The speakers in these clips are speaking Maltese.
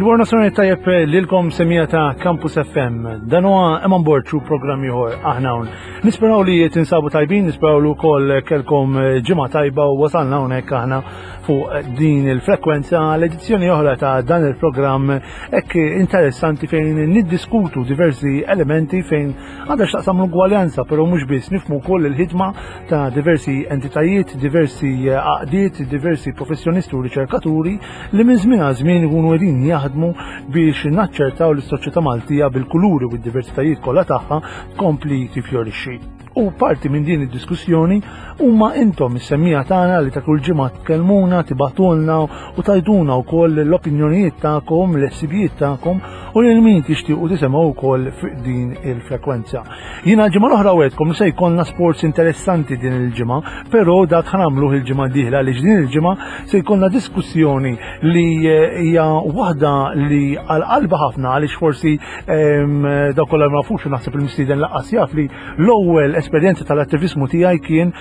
Il-War Nazzjonali tajjeb lilkom semija ta' Campus FM. Dan huwa Eman Borg u programm ieħor aħna hawn. Nisperaw li tinsabu tajbin, nisperaw li wkoll kelkom ġimgħa tajba u wasalna hawnhekk aħna fuq din il-frekwenza l-edizzjoni oħra ta' dan il-programm hekk interessanti fejn niddiskutu diversi elementi fejn għandha x'taqsam l-ugwaljanza, però mhux biss nifhmu wkoll il-ħidma ta' diversi entitajiet, diversi għaqdiet, diversi professjonisti u riċerkaturi li minn żmien għal żmien ikunu qegħdin jaħdmu biex naċċertaw li s-soċjetà Maltija bil-kuluri u d-diversitajiet kollha tagħha tkompli tifjorixxi. U parti minn din id-diskussjoni huma intom is-semmija tagħna li ta' kull ġimgħa tkellmuna, tibatulna u tajduna wkoll l-opinjonijiet tagħkom, l-ħsibijiet tagħkom u lil min tixtiequ tisimgħu wkoll fuq din il-frekwenza. Jiena l-ġimgħa l-oħra wegħedkom li se jkollna sports interessanti din il-ġimgħa, però dak ħanamluh il-ġimgħa d-dieħla għaliex din il-ġimgħa se jkollna diskussjoni li eh, hija waħda li għal qalba ħafna għaliex forsi ehm, dawk kollha ma nafux naħseb il-mistieden laqqas jaf li l-ewwel esperjenza tal-attivismu tiegħi kien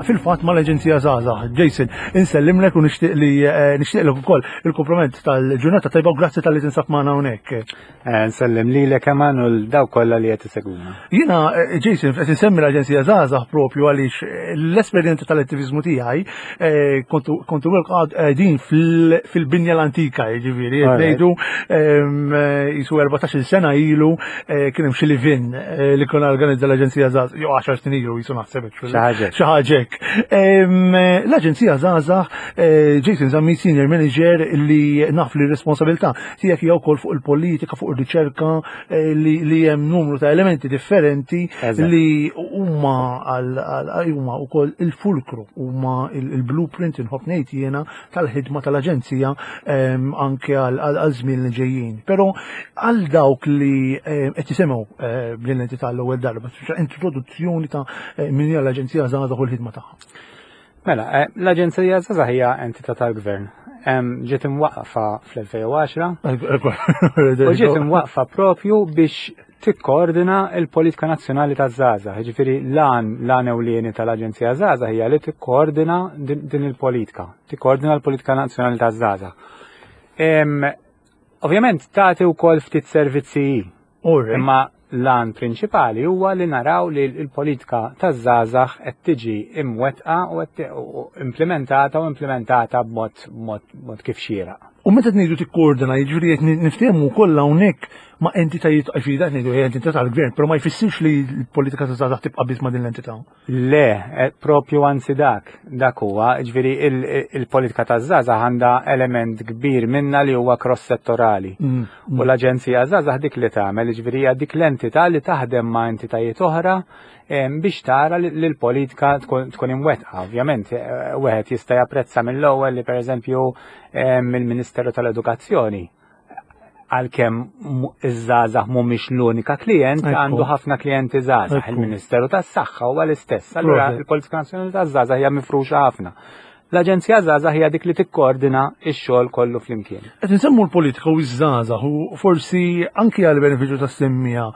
fil-fatt mal-Aġenzija Żgħażagħ. Jason, insellimlek u nixtieq li eh, nixtieqlek ukoll il-kompliment tal-ġurnata tajba u grazzi tal-li tinsab magħna hawnhekk. Eh, nsellem lilek Eman u daw kollha li qed isegwuna. Jiena eh, Jason qed insemmi l-Aġenzija Żgħażagħ propju għaliex eh, l-esperjenza tal-attiviżmu tiegħi kontu qegħdin fil-binja l-antika, jiġifieri qed ngħidu ehm, jisu 14-il sena ilu kien hemm xi livin li konna organizza l-Aġenzija Żgħażagħ, jew 10 snin ilu jisu naħseb Xi ħaġa hekk. Ehm, L-Aġenzija Żgħażagħ Jason Zammi Senior Manager li naf li responsabilità tiegħek hija wkoll fuq il-politika, fuq ir-riċerka eh, li hemm numru ta' elementi differenti li huma huma wkoll il-fulkru, huma il-blueprint inħobb ngħid jiena tal-ħidma tal-aġenzija ehm, anke għal żmien li ġejjin. Però għal dawk li eh, qed jisimgħu eh, din l-entità l-ewwel darba, introduzzjoni ta' min hija l-Aġenzija Żgħażagħ u l-ħidma tagħha. Mela, eh, l-Aġenzija Żgħażagħ hija entità tal-Gvern. Ġiet imwaqqfa fl-2010. U ġiet imwaqqfa propju biex tikkoordina l-politika nazzjonali taż-żgħażagħ. Jiġifieri l-għan l-għan ewlieni tal-Aġenzija Żgħażagħ hija li tikkoordina din il-politika, tikkoordina l-politika nazzjonali taż-żgħażagħ. Ovvjament tagħti wkoll ftit servizzi Imma l-għan prinċipali huwa li naraw li l-politika taż-żgħażagħ qed tiġi imwettqa u qed implementata u implementata b'mod mod kif xieraq. U meta ngħidu tikkoordina, jiġifieri qed niftehmu wkoll hawnhekk ma' entitajiet għax dak ngħidu hija entità tal-gvern, però ma jfissirx li l-politika taż-żgħażagħ tibqa' biss ma' din l-entità. Le, eh, propju anzi dak, dak huwa, ġviri il-politika ta' żgħażagħ għandha element kbir minna li huwa cross-settorali. Mm, mm. U l-Aġenzija Żgħażagħ dik li tagħmel, ġviri hija dik l-entità li taħdem ma' entitajiet oħra biex tara li l-politika tkun imwettqa. Ovvjament, eh, wieħed jista' japprezza mill-ewwel li pereżempju mill-Ministeru tal-Edukazzjoni għalkemm iż-żgħażagħ mhumiex l-unika klient, għandu ħafna klijenti żgħażagħ. Il-Ministeru tas-Saħħa huwa l-istess. Allura il-Politika Nazzjonali taż-Żgħażagħ hija mifruxa ħafna. L-Aġenzija Żgħażagħ hija dik li tikkoordina x-xogħol kollu flimkien. Qed insemmu l-politika u ż-żgħażagħ u forsi anki għal benefiċċju tas-semmija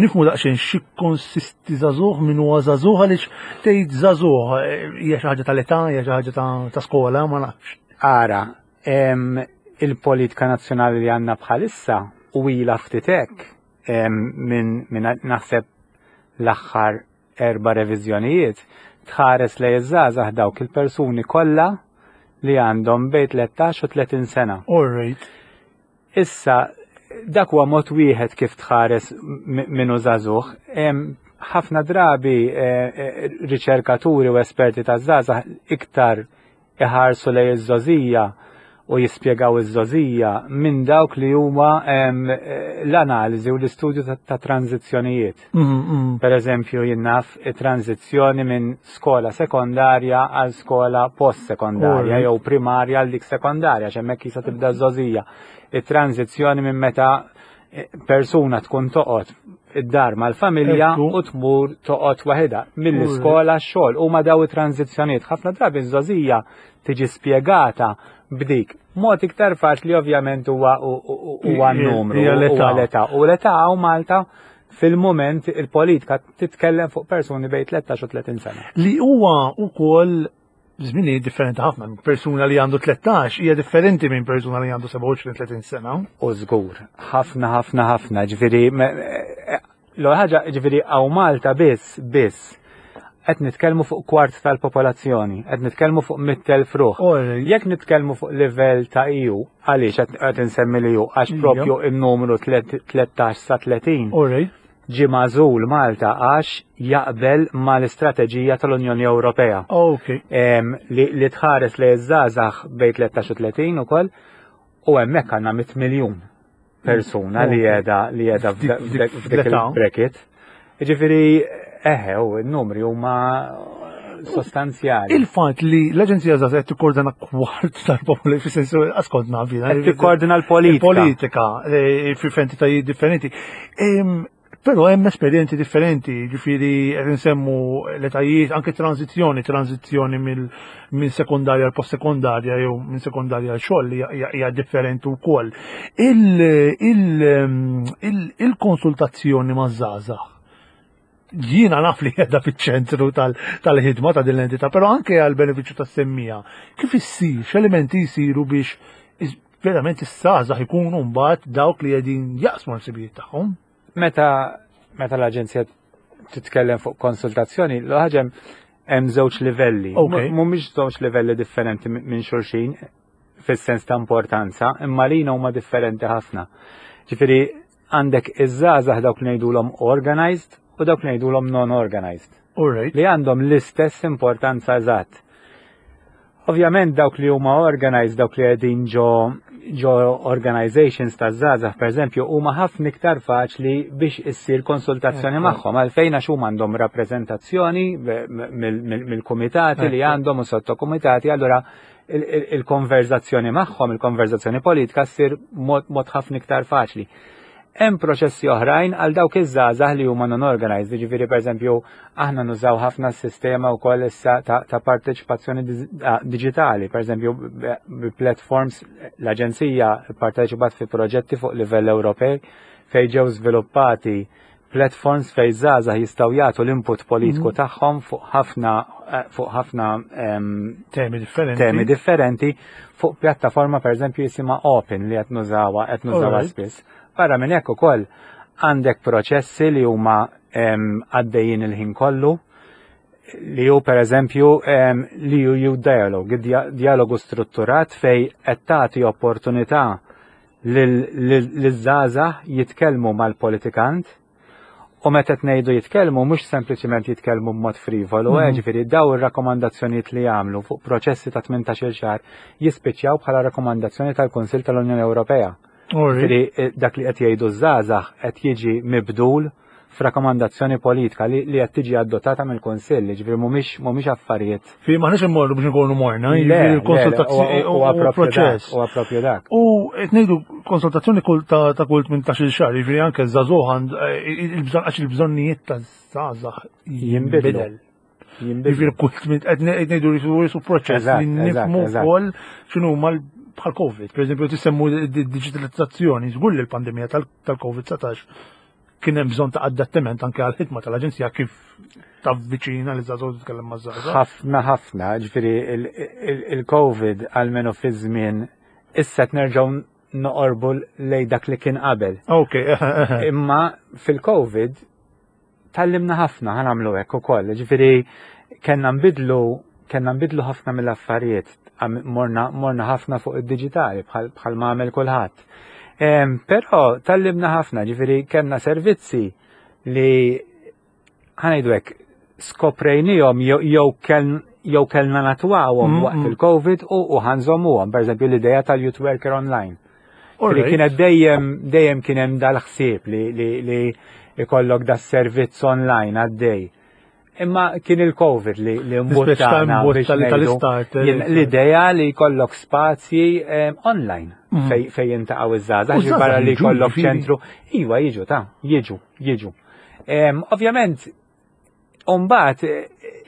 nifhmu daqsxejn xi konsisti żagħżugħ min huwa żagħżugħ għaliex tgħid żagħżugħ eh, hija xi ħaġa tal-età, hija xi ħaġa ta' skola, ma nafx. Ara, il-politika nazzjonali li għandna bħalissa u ilha ftit hekk minn min naħseb l-aħħar erba' reviżjonijiet tħares lejn iż-żgħażagħ dawk il-persuni kollha li għandhom bejn 13 u 30 sena. All right. Issa, dak huwa mod wieħed kif tħares minnu żagħżugħ. Ħafna drabi eh, eh, riċerkaturi u esperti taż-żgħażagħ iktar iħarsu lejn iż-żgħożija u jispjegaw iż-żgħożija minn dawk li huma l-analiżi u l-istudju ta' tranzizzjonijiet. Mm, mm. Per eżempju, jien naf it-tranzizzjoni minn skola sekondarja għal skola post-sekondarja jew primarja għal dik sekondarja, x'hemmhekk jista' tibda ż-żgħożija. It-tranzizzjoni minn meta persuna tkun toqgħod id-dar mal-familja u tmur toqgħod waħedha mill-iskola x-xogħol huma daw it-tranzizzjonijiet. Ħafna drabi ż-żgħożija tiġi spjegata b'dik. Mod iktar faċli ovvjament huwa huwa n-numru, huwa l-età. U l-età hawn Malta fil-moment il-politika titkellem fuq persuni bejn 13 u 30 sena. Li huwa wkoll żminijiet differenti ħafna. Persuna li għandu 13 hija differenti minn persuna li għandu 27-30 sena. U żgur, ħafna ħafna ħafna, ġifieri eh, l ħaġa ġifieri hawn Malta biss biss qed nitkellmu fuq kwart tal-popolazzjoni, qed nitkellmu fuq 100,000 ruħ. Jekk nitkellmu fuq livell ta' EU, għaliex qed insemmi li EU, għax propju in-numru 13 sa 30 ġie magħżul Malta għax jaqbel mal-istrateġija tal-Unjoni Ewropea. Li tħares li żgħażagħ bejn 13 u 30 ukoll u hemmhekk għandna 100 miljun persuna li qiegħda li qiegħda f'dik il-bracket. Jiġifieri eħe u n-numri huma sostanzjali. Il-fatt li l-Aġenzija Żgħażagħ qed tikkordina kwart tal-popolazzjoni fis-sensu askont naf jiena. Qed tikkordina l-politika. Politika eh, fi entitajiet differenti. Però hemm esperjenzi differenti, ġifieri qed insemmu l-etajiet, anke tranzizzjoni, tranzizzjoni minn sekondarja għal post-sekondarja jew minn sekondarja għal xogħol li hija differenti wkoll. Il-konsultazzjoni maż-żgħażagħ jiena naf li qiegħda fiċ-ċentru tal-ħidma ta' din l-entità, però anke għal benefiċċju tas-semmija, kif issir, x'elementi jsiru biex verament is-sażaħ ikunu mbagħad dawk li qegħdin jaqsmu l-ħsibijiet tagħhom? Meta meta l-aġenzija titkellem fuq konsultazzjoni, l-ħaġa hemm żewġ livelli. Mhumiex żewġ livelli differenti minn xulxin fis-sens ta' importanza, imma lina huma differenti ħafna. Ġifieri għandek iż-żgħażagħ dawk li ngħidulhom organized u dawk li ngħidulhom non-organized. Li għandhom l-istess importanza eżatt. Ovvjament dawk li huma organized, dawk li qegħdin ġo ġo organizations ta' żgħażagħ pereżempju huma ħafna iktar faċli biex issir konsultazzjoni magħhom għalfejn għax huma għandhom rappreżentazzjoni mill-kumitati li għandhom u sottokumitati allura il-konverzazzjoni magħhom, il-konverzazzjoni politika ssir mod ħafna iktar faċli. Hemm proċessi oħrajn għal dawk iż-żgħażagħ li huma non-organized, jiġifieri pereżempju aħna nużaw ħafna s-sistema wkoll issa ta', ta parteċipazzjoni diġitali, pereżempju bi platforms l-Aġenzija pparteċipat fi proġetti fuq livell Ewropej fejn ġew żviluppati platforms fejn żgħażagħ jistgħu jagħtu l-input politiku mhm. tagħhom fuq ħafna eh, fuq ħafna temi differenti. Temi differenti fuq pjattaforma pereżempju jisimha Open li qed nużawha qed nużawha spiss. Barra minn hekk ukoll għandek proċessi li huma għaddejjin il-ħin kollu li hu pereżempju li hu dialogue, dialogu strutturat fej qed tagħti opportunità liż-żgħażagħ jitkellmu mal-politikant u meta qed ngħidu jitkellmu mhux sempliċement jitkellmu b'mod frivolu, eh, mhm. ġifieri daw ir-rakkomandazzjonijiet li jagħmlu fuq proċessi ta' 18-il xahar jispiċċjaw bħala rakkomandazzjoni tal-Kunsill tal-Unjoni Ewropea. Ġifieri eh, dak li qed jgħidu żgħażagħ qed jiġi mibdul f'rakkomandazzjoni politika li qed tiġi adottata mill-Kunsill, jiġifieri mhumiex mhumiex affarijiet. Fi maħniex immorru biex nkunu morna, jiġifieri konsultazzjoni huwa proċess. Huwa propju dak. U qed ngħidu konsultazzjoni kull ta' kull 18-il xahar, jiġifieri anke żagħżugħ eh, il-bżonn għax il-bżonnijiet ta' żgħażagħ jinbidel. Jiġifieri kull qed ngħidu li su proċess li nifhmu wkoll x'inhu bħal COVID. Per eżempju, tisemmu digitalizzazzjoni, żgur li l-pandemija tal-COVID-19 kien hemm bżonn ta' adattament anke għal ħidma tal-aġenzija kif tavviċina li żagħżugħ titkellem ma' żgħażagħ. Ħafna ħafna, ġifieri il-COVID għalmenu fi żmien issa qed nerġgħu noqorbu lej dak li kien qabel. Ok. Imma fil-COVID tallimna ħafna ħanamlu hekk ukoll. Ġifieri kellna nbidlu kellna nbidlu ħafna mill-affarijiet, morna, morna ħafna fuq id-diġitali bħal ma għamel kulħadd. Però tallimna ħafna, ġifieri kellna servizzi li ħanajdu hekk skoprejnihom jew jew kellna natwawhom mm, waqt mm. il-COVID u ħanżommuhom, pereżempju l-idea tal-youth worker online. Li kienet dejjem dejjem kien hemm dal-ħsieb li li li ikollok da servizz online għaddej. Imma kien il-Covid li li mbuttana tal-istart. Eh, l-idea li jkollok spazji eh, online mm. fej fej jintaqgħu iż-żgħażagħ barra li jkollok ċentru. Iva jiġu ta' jiġu, jiġu. Ovvjament Umbat,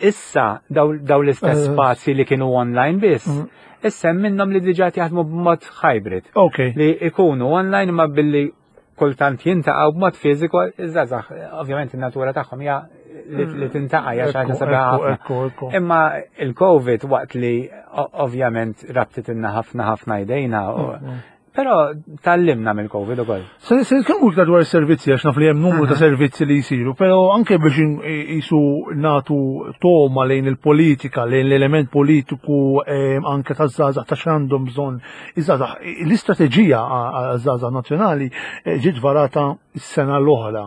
issa daw l-istess eh. spazji li kienu online biss, mm. issa minnhom li diġà jaħdmu b'mod hybrid. Li ikunu online ma billi kultant jintaqgħu b'mod fiżiku, iż-żgħażagħ, ovvjament in-natura tagħhom hija li tintaqa' hija xi ħaġa sabiħa ħafna. Imma il-Covid waqt li ovvjament rabtitilna ħafna ħafna jdejna Però tallimna mill-Covid ukoll. Se nitkellmu iktar dwar is-servizzi għax naf li hemm numru ta' servizzi li jsiru, però anke biex jisu natu toma lejn il-politika, lejn l-element politiku anke taż-żgħażagħ ta' x'għandhom bżonn iż-żgħażagħ. L-istrateġija għaż-żgħażagħ nazzjonali eh, ġiet varata s-sena l-oħra.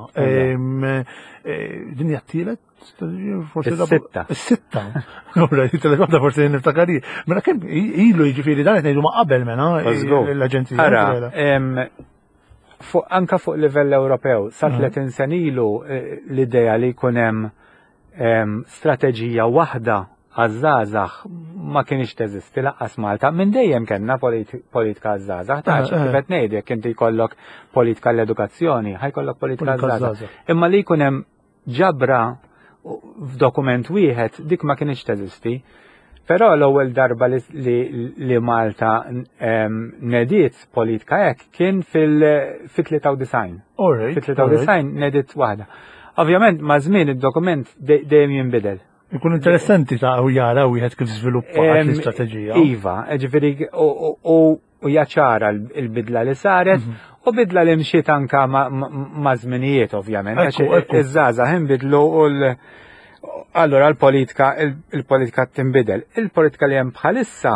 Eh, din hija t-tielet Is-sitta. Is-sitta. Ora, it-tielet waħda forsi niftakar Mela kemm ilu jiġifieri dan qed ngħidu ma' qabel mela l-aġenzija. Ara, anka fuq livell Ewropew, sa 30 mhm. sen ilu eh, l-idea li jkun hemm strateġija waħda għaż-żgħażagħ ma kienx teżisti laqqas Malta. Minn dejjem kellna politika għaż-żgħażagħ, ta' eh, eh. kif qed ngħid jekk inti jkollok politika l-edukazzjoni, ħajkollok politika għaż-żgħażagħ. Imma li jkun hemm ġabra f'dokument wieħed dik ma kienx teżisti. Però l-ewwel darba li, li, li Malta nediet politika hekk kien fil-93. Fil-93 nediet waħda. Ovvjament ma' żmien id-dokument dejjem jinbidel. Ikun interessanti ta' u jara wieħed kif żviluppa l-istrateġija. Iva, ġifieri u u hija ċara l-bidla li saret mhm. u bidla li mxiet anka ma' żminijiet ovvjament. Iż-żgħażagħ inbidlu u l Allora l-politika il-politika tinbidel. Il-politika li hemm bħalissa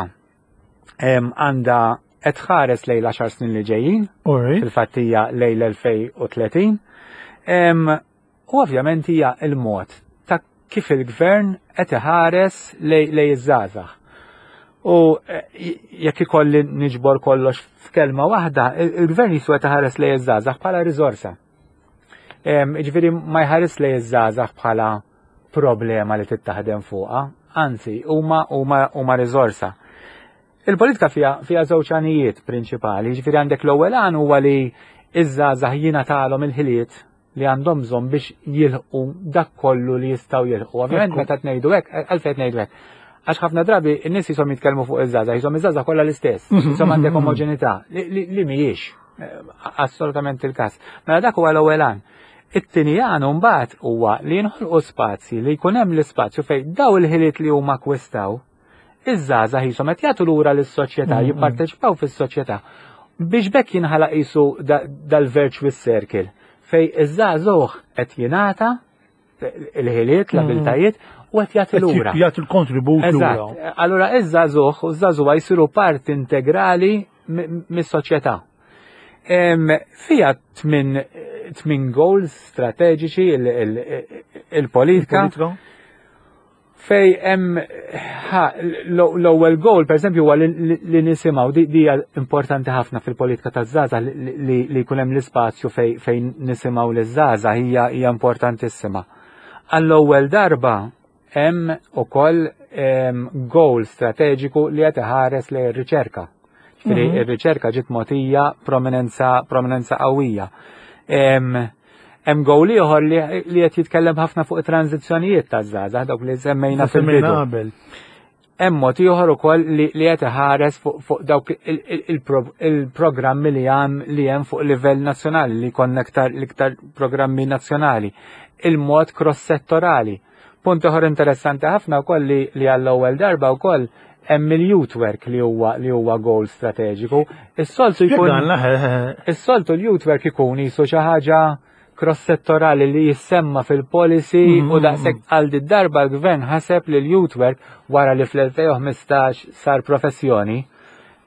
għandha qed tħares lejn l-10 snin li ġejjin, fil-fatt hija lejn l-2030. U ovvjament hija l-mod ta' kif il-gvern qed iħares lejn iż-żgħażagħ. U eh, jekk ikolli niġbor kollox f'kelma waħda, il-gvern jiswa taħares lejn iż-żgħażagħ bħala riżorsa. Ġifieri ma jħares lejn iż-żgħażagħ bħala problema li tittaħdem fuqha, anzi huma huma huma riżorsa. Il-politika fiha fiha żewġ għanijiet prinċipali, ġifieri għandek l-ewwel għan huwa li iż-żgħażagħ jingħatalhom il-ħiliet li għandhom bżonn biex jilħqu dak kollu li jistgħu jilħqu. Ovvjament meta tnejdu hekk, għalfejn tnejdu hekk. Għax ħafna drabi n-nies jisom jitkellmu fuq iż-żgħażagħ, jisom iż-żgħażagħ kollha l-istess, jisom għandek omoġenità li mhijiex eh, assolutament il-każ. Mela dak huwa l-ewwel għan. It-tieni għan mbagħad huwa li jinħolqu spazji li jkun hemm l-ispazju fejn daw il-ħiliet li huma akkwistaw Iż-żgħażagħ qishom qed jagħtu lura lis-soċjetà, jipparteċipaw fis-soċjetà. Biex b'hekk jinħalaq qisu dal-virtuous circle fejn iż-żagħżugħ qed jingħata il-ħiliet, l-abiltajiet u qed jagħti lura. Jagħti l-kontribut lura. Allura iż-żagħżugħ u ż-żagħżugħa jsiru parti integrali mis-soċjetà. Fija tmin goals strateġiċi il-politika. Fej hemm l-ewwel goal pereżempju huwa li nisimgħu di hija importanti ħafna fil-politika taż-żgħażagħ li jkun hemm l-ispazju fejn nisimgħu liż-żgħażagħ hija hija importantissima. Għall-ewwel darba hemm ukoll goal strateġiku li qed iħares lejn ir-riċerka. Ġifieri mhm. ir-riċerka ġiet mogħtija prominenza prominenza qawwija. Hemm gowl ieħor li qed jitkellem ħafna fuq it-tranzizzjonijiet taż-żgħażagħ dawk li semmejna fil-bidu. Hemm mod ieħor ukoll li qed iħares fuq dawk il-programmi li hemm li hemm fuq livell nazzjonali li jkollna iktar l-iktar programmi nazzjonali. Il-mod cross-settorali. Punt ieħor interessanti ħafna wkoll li, li għall-ewwel darba wkoll hemm il-youth work li huwa li huwa goal strateġiku. Is-soltu jkun Is-soltu l-youth work ikun jisu xi ħaġa cross-settorali li jissemma fil-policy u mm-hmm. daqshekk għal darba l-gvern ħaseb li l-youth work wara li fl-2015 sar professjoni,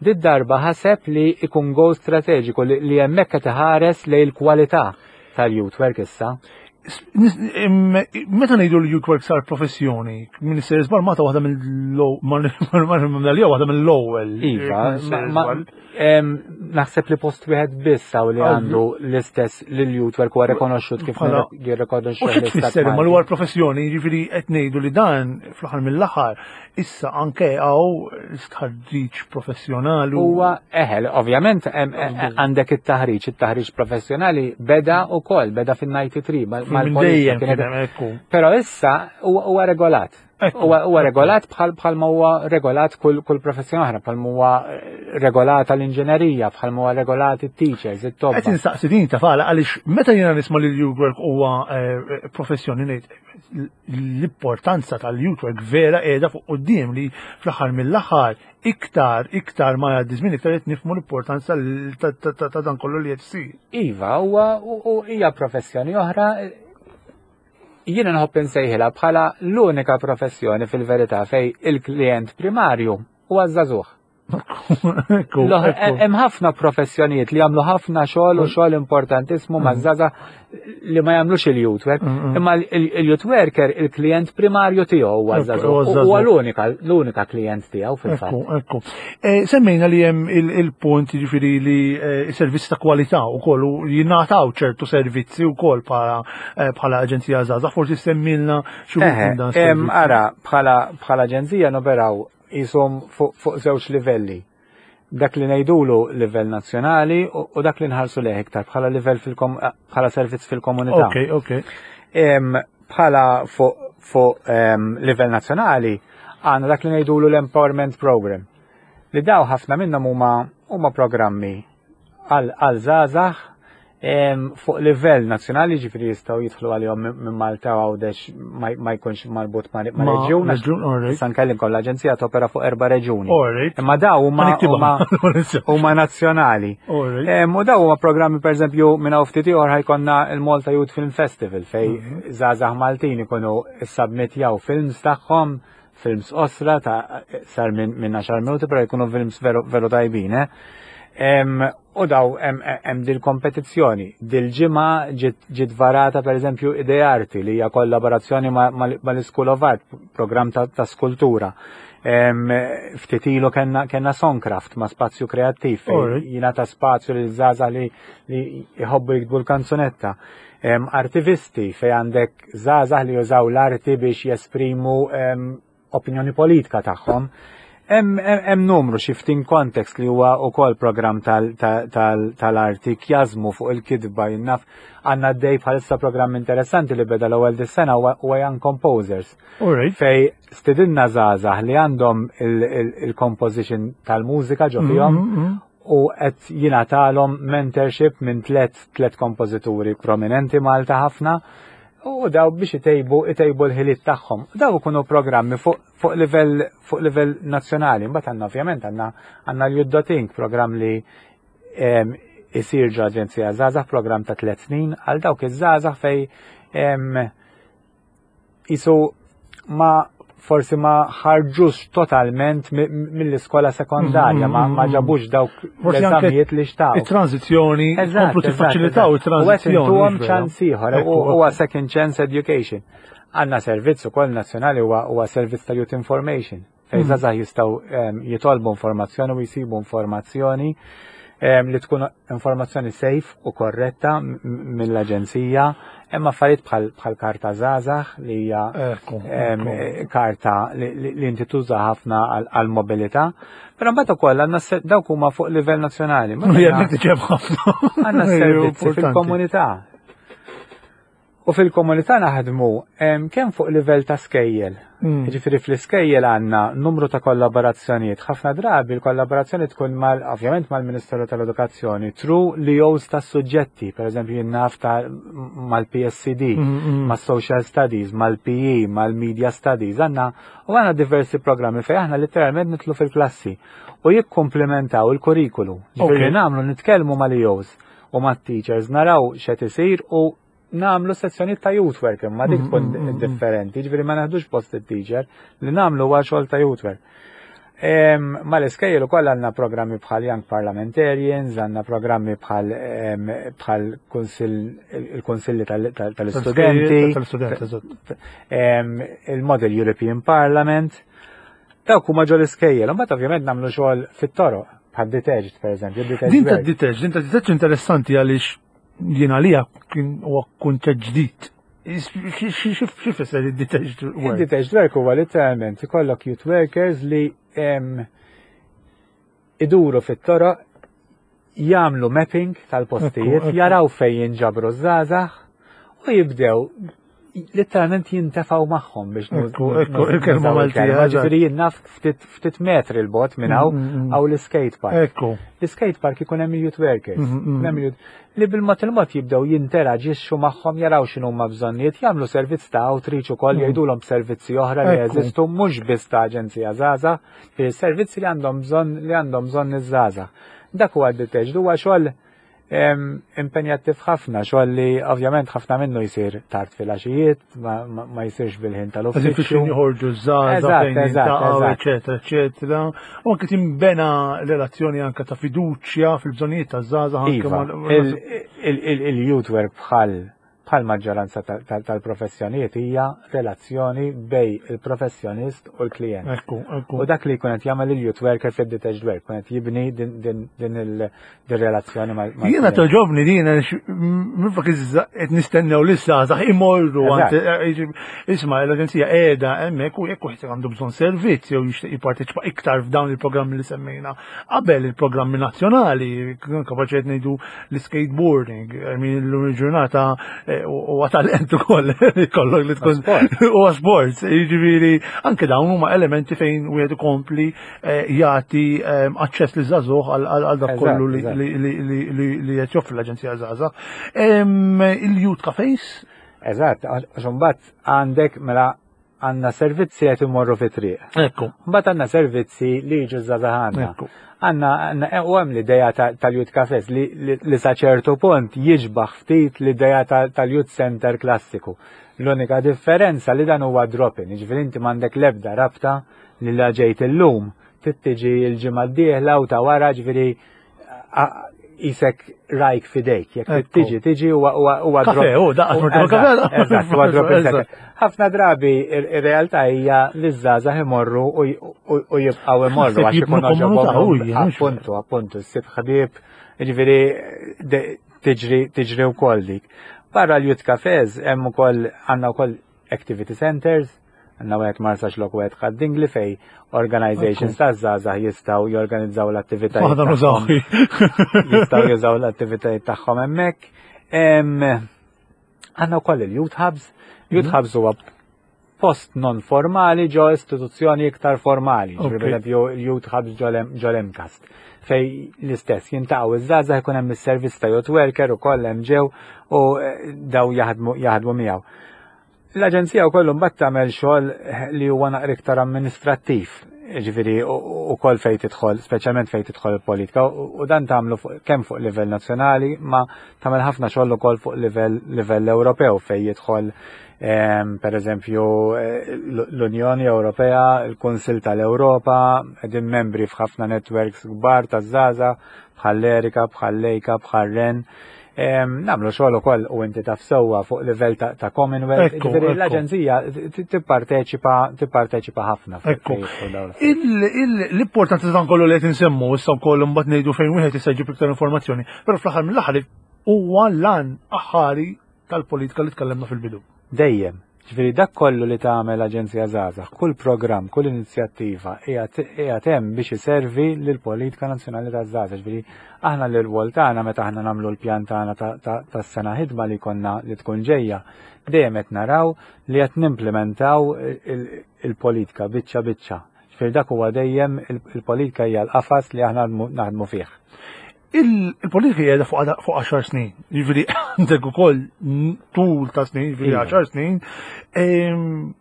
did darba ħaseb li ikun goal strateġiku li hemmhekk qed iħares lejn il-kwalità tal-youth work issa. Meta ngħidu li youth work sar professjoni, min isser żball mata waħda mill-ewwel waħda mill-ewwel. Iva, naħseb li post wieħed biss hawn li għandu l-istess li l-youth work huwa rikonoxxut kif jirrikonoxxu. U xi tfisser imma li huwa professjoni, jiġifieri qed ngħidu li dan fl-aħħar mill-aħħar Issa anke hawn stħarriġ professjonali. Huwa eħel, ovvjament għandek it-taħriġ, it-taħriġ professjonali beda wkoll, beda fin-93 mal-dejjem. Però issa huwa regolat. Huwa regolat bħal bħal ma huwa regolat kull kull professjoni oħra, bħal ma huwa eh, regolata l-inġenerija, bħal ma huwa regolat it-teachers, it-tobba. Qed insaqsi din ta' fala għaliex meta jiena nisma' li l-youth work huwa eh, professjoni ngħid l-importanza tal-youth work vera qiegħda fuq quddiem li fl-aħħar mill-aħħar iktar iktar ma jgħaddi żmien iktar qed nifhmu l-importanza ta' dan kollu li qed isir. Iva, huwa hija professjoni oħra Jiena nħobb insejħilha bħala l-unika professjoni fil-verità fej il-klient primarju huwa żagħżugħ. Hemm ħafna professjonijiet li jagħmlu ħafna xogħol u xogħol importantissimu ma' żgħażagħ li ma jagħmlux il-youth work. Imma il-youth worker il-klient primarju tiegħu huwa żagħżugħ. Huwa l-unika l-unika klient tiegħu fil-fatt. Ekku, eh, semmejna li hemm il-punt jiġifieri li eh, servizz ta' kwalità wkoll u jingħataw ċertu servizzi wkoll bħala Eh, bħala Aġenzija Żgħażagħ, forsi semmilna xi wħud minn dan. Ara, bħala bħala aġenzija noperaw jisom fuq żewġ livelli. Dak li ngħidulu livell nazzjonali u dak li nħarsu leh iktar bħala livell bħala servizz fil-komunità. Ok, ok. Bħala fuq livell nazzjonali għandna dak li ngħidulu l-Empowerment Program. Li daw ħafna minnhom huma huma programmi għal żgħażagħ fuq livell nazzjonali ġifieri jistgħu jidħlu għalihom minn Malta u Għawdex ma jkunx marbut ma' reġjun. Issa nkellimkom l-aġenzija topera fuq erba' reġjuni. Imma daw huma nazzjonali. U daw huma programmi pereżempju minn hawn ftit ieħor ħajkonna il-Malta Youth Film Festival fej mhm. żgħażagħ Maltin ikunu issubmitjaw films tagħhom films qosra ta' sar minn min 10 minuti, pero jkunu films veru, veru tajbin, eh? U daw hemm dil kompetizzjoni. Dil-ġimgħa ġiet varata pereżempju Idearti li hija kollaborazzjoni mal-School of Art, programm ta', ta skultura. Ftit ilu kellna kellna Songcraft ma' spazju kreattiv fejn jingħata spazju lil żgħażagħ li li jħobbu jiktbu l-kanzunetta. Artivisti fej għandek żgħażagħ li jużaw l-arti biex jesprimu opinjoni politika tagħhom. Hemm numru shifting context li huwa wkoll programm tal-arti kjażmu fuq il-kitba jinnaf għandna dej bħalissa programm interessanti li beda l-ewwel dis-sena huwa Young Composers. Fej stidinna żgħażagħ li għandhom il-composition tal-mużika ġo fihom mm, mm, mm. u qed jingħatalhom mentorship minn tlet tlet kompożituri prominenti Malta ħafna u daw biex itejbu itejbu l-ħiliet tagħhom. Daw ikunu programmi fuq fuq livell fuq livell nazzjonali. Mbagħad għandna ovvjament għandna għandna l-Youth programm li isir ġo Aġenzija Żgħażagħ, programm ta' tliet snin għal dawk iż-żgħażagħ fej Isu ma forsi ma ħarġux totalment mill-iskola sekondarja, ma mm, mm, mm. ġabux dawk l-eżamijiet li xtaqu. Il-tranzizjoni, komplu tiffaċilitaw il-tranzizjoni. U għem ċans ieħor, huwa second chance education. Għanna servizz ukoll nazzjonali huwa servizz ta' youth information. Fejn mm. żgħażagħ jistgħu ehm, jitolbu informazzjoni u jsibu informazzjoni ehm, li tkun informazzjoni safe u korretta mill-aġenzija. Hemm affarijiet bħal karta żgħażagħ li hija ehm, karta li inti tuża ħafna għal-mobilità. Però mbagħad ukoll għandna dawk huma fuq livell nazzjonali. Għandna servizzi fil-komunità. U fil-komunità naħdmu kemm fuq livell ta' skejjel. Mm. Ġifieri fl-iskejjel għandna numru ta' kollaborazzjonijiet. Ħafna drabi l-kollaborazzjoni tkun mal ovvjament mal-Ministeru tal-Edukazzjoni tru li jows ta' suġġetti, per eżempju jien naf ta' mal-PSCD, mm, mm. mas-Social Studies, mal-PE, mal-Media Studies, għandna u għandna diversi programmi fejn aħna letteralment nitlu fil-klassi u jikkumplementaw il-kurrikulu. Ġifieri nagħmlu nitkellmu mal-EOs u mat-teachers naraw x'qed isir u nagħmlu sezzjonijiet ta' youth work imma dik tkun mm, mm, mm, differenti, ġifieri ma naħdux post it-teacher li nagħmlu huwa xogħol ta' youth work. Ma l-iskejjel ukoll għandna programmi bħal Young Parliamentarians, għandna programmi bħal bħal il-Kunsilli tal-Istudenti, il-Model European Parliament. Dawk huma ġol iskejjel, imbagħad ovvjament nagħmlu xogħol fit-toroq, bħal detached pereżempju. Din ta' detached, din ta' detached interessanti għaliex jien għalija kien huwa kunċett ġdid. Xi fisser id-detached work? Id-detached work huwa literalment ikollok youth workers li iduru fit-toroq jagħmlu mapping tal-postijiet, jaraw fejn jinġabru żgħażagħ u jibdew. Literalment jintefgħu magħhom biex Ekku, ekku, il-kelma Maltija. Ġifieri jien naf ftit metri 'l bogħod minn hawn mm, mm, mm. hawn l-skate park. Ekku. L-skate park ikun hemm youth workers. Li bil-mod il-mod jibdew jinteraġixxu magħhom jaraw x'inhuma bżonnijiet, jagħmlu servizz ta' outreach ukoll jgħidulhom servizzi oħra li jeżistu mhux biss ta' aġenzija żgħażagħ, servizzi li għandhom bżonn li għandhom bżonn iż-żgħażagħ. Dak huwa d-deteched huwa xogħol impenjattiv ħafna, xogħol li ovvjament ħafna minnu jsir tard fil-għaxijiet, ma jsirx bil-ħin tal-uffiċċju. Eżatt, joħorġu żgħażagħ fejn eċetera, eċetera. U anke timbena relazzjoni anke ta' fiduċja fil-bżonnijiet taż-żgħażagħ anke iva, il-youth work bħal bħal maġġoranza tal-professjonijiet hija relazzjoni bej il-professjonist u l-klient. Ekku, ekku. U dak li jkun qed jagħmel il-youth worker fid-detached work, kun qed jibni din il-relazzjoni mal Jiena toġobni din minflok qed nistennew li żgħażagħ imorru eh, isma' l-aġenzija qiegħda hemmhekk u jekk wieħed għandu bżonn servizz jew jixtieq jipparteċipa iktar f'dawn il-programmi li semmejna qabel il-programmi nazzjonali, kapaċi qed ngħidu l-skateboarding, I mean l-lum il-ġurnata eh, u talent ukoll kollok li tkun huwa sport, jiġifieri anke dawn huma elementi fejn wieħed ikompli eh, jagħti eh, aċċess li żagħżugħ għal dak kollu li qed joffri l-Aġenzija Żgħażagħ. Il-Youth Cafes? Eżatt, għax imbagħad għandek mela għandna servizzi qed imorru fi triq. Ekku. Mbagħad għandna servizzi li jiġu żgħażagħ għandna. Għandna eh, u hemm l-idea tal-Youth Cafes li, li sa ċertu punt jiġbaħ ftit l-idea tal-Youth Center klassiku. L-unika differenza li dan huwa drop-in, jiġifieri inti m'għandek l-ebda rabta li la ġejt illum trid tiġi l-ġimgħa d-dieħla u ta' wara ġifieri isek rajk fidejk, jekk tiġi, tiġi huwa huwa Kafe, u daqqa kafe. Eżatt, huwa drop Ħafna drabi ir-realtà hija li żgħażagħ imorru u jibqgħu imorru għax ikun għoġobhom. Appuntu, appuntu, ssib ħbieb, jiġifieri tiġri tiġri wkoll dik. Barra l-youth cafes hemm ukoll għandna wkoll activity centers, Għandna wieħed Marsaxlokk u wieħed Ħad-Dingli fej organizations ta' żgħażagħ jistgħu jorganizzaw l-attivitajiet. Aħna nużaw. Jistgħu jużaw l-attivitajiet tagħhom hemmhekk. Għandna wkoll il-Youth Hubs. Youth mhm. Hubs huwa post non formali ġo istituzzjoni iktar formali, per esempio Youth Hubs ġol-MCAST, fej l-istess jintaqgħu iż-żgħażagħ ikun hemm is-servizz ta' youth worker ukoll hemm ġew u eh, daw jaħdmu miegħu. L-Aġenzija wkoll imbagħad tagħmel xogħol li huwa naqra iktar amministrattiv, ġifieri ukoll fejn tidħol, speċjalment fejn tidħol il-politika, u dan tagħmlu kemm fuq livell nazzjonali, ma tagħmel ħafna xogħol ukoll fuq livell livell Ewropew fejn jidħol ehm, per eżempju eh, l-Unjoni Ewropea, il-Kunsill tal-Ewropa, qegħdin membri f'ħafna networks kbar taż-żgħażagħ bħall-Erika, bħall-Lejka, bħal-Ren. Namlu xogħol ukoll u inti taf sewwa fuq livell ta' Commonwealth. Ġifieri l-aġenzija tipparteċipa tipparteċipa ħafna. Ekku. L-importanza dan kollu li qed insemmu issa wkoll imbagħad ngħidu fejn wieħed jista' jġib iktar informazzjoni, però fl-aħħar mill-aħħar huwa lan aħħari tal-politika li tkellimna fil-bidu. Dejjem. Ġifieri dak kollu li tagħmel Aġenzija Żgħażagħ, kull programm, kull inizjattiva qiegħed hemm biex iservi lill-politika nazzjonali taż-żgħażagħ. Ġifieri aħna l-irwol tagħna meta aħna nagħmlu l-pjan tagħna tas-sena ħidma li jkollna li tkun ġejja, dejjem qed naraw li qed nimplementaw il-politika biċċa biċċa. Ġifieri dak huwa dejjem il-politika hija l-qafas li aħna naħdmu fih. Il-politika hija fuq 10 snin, jiġifieri għandek ukoll tul ta' snin, jiġifieri 10 iva. snin.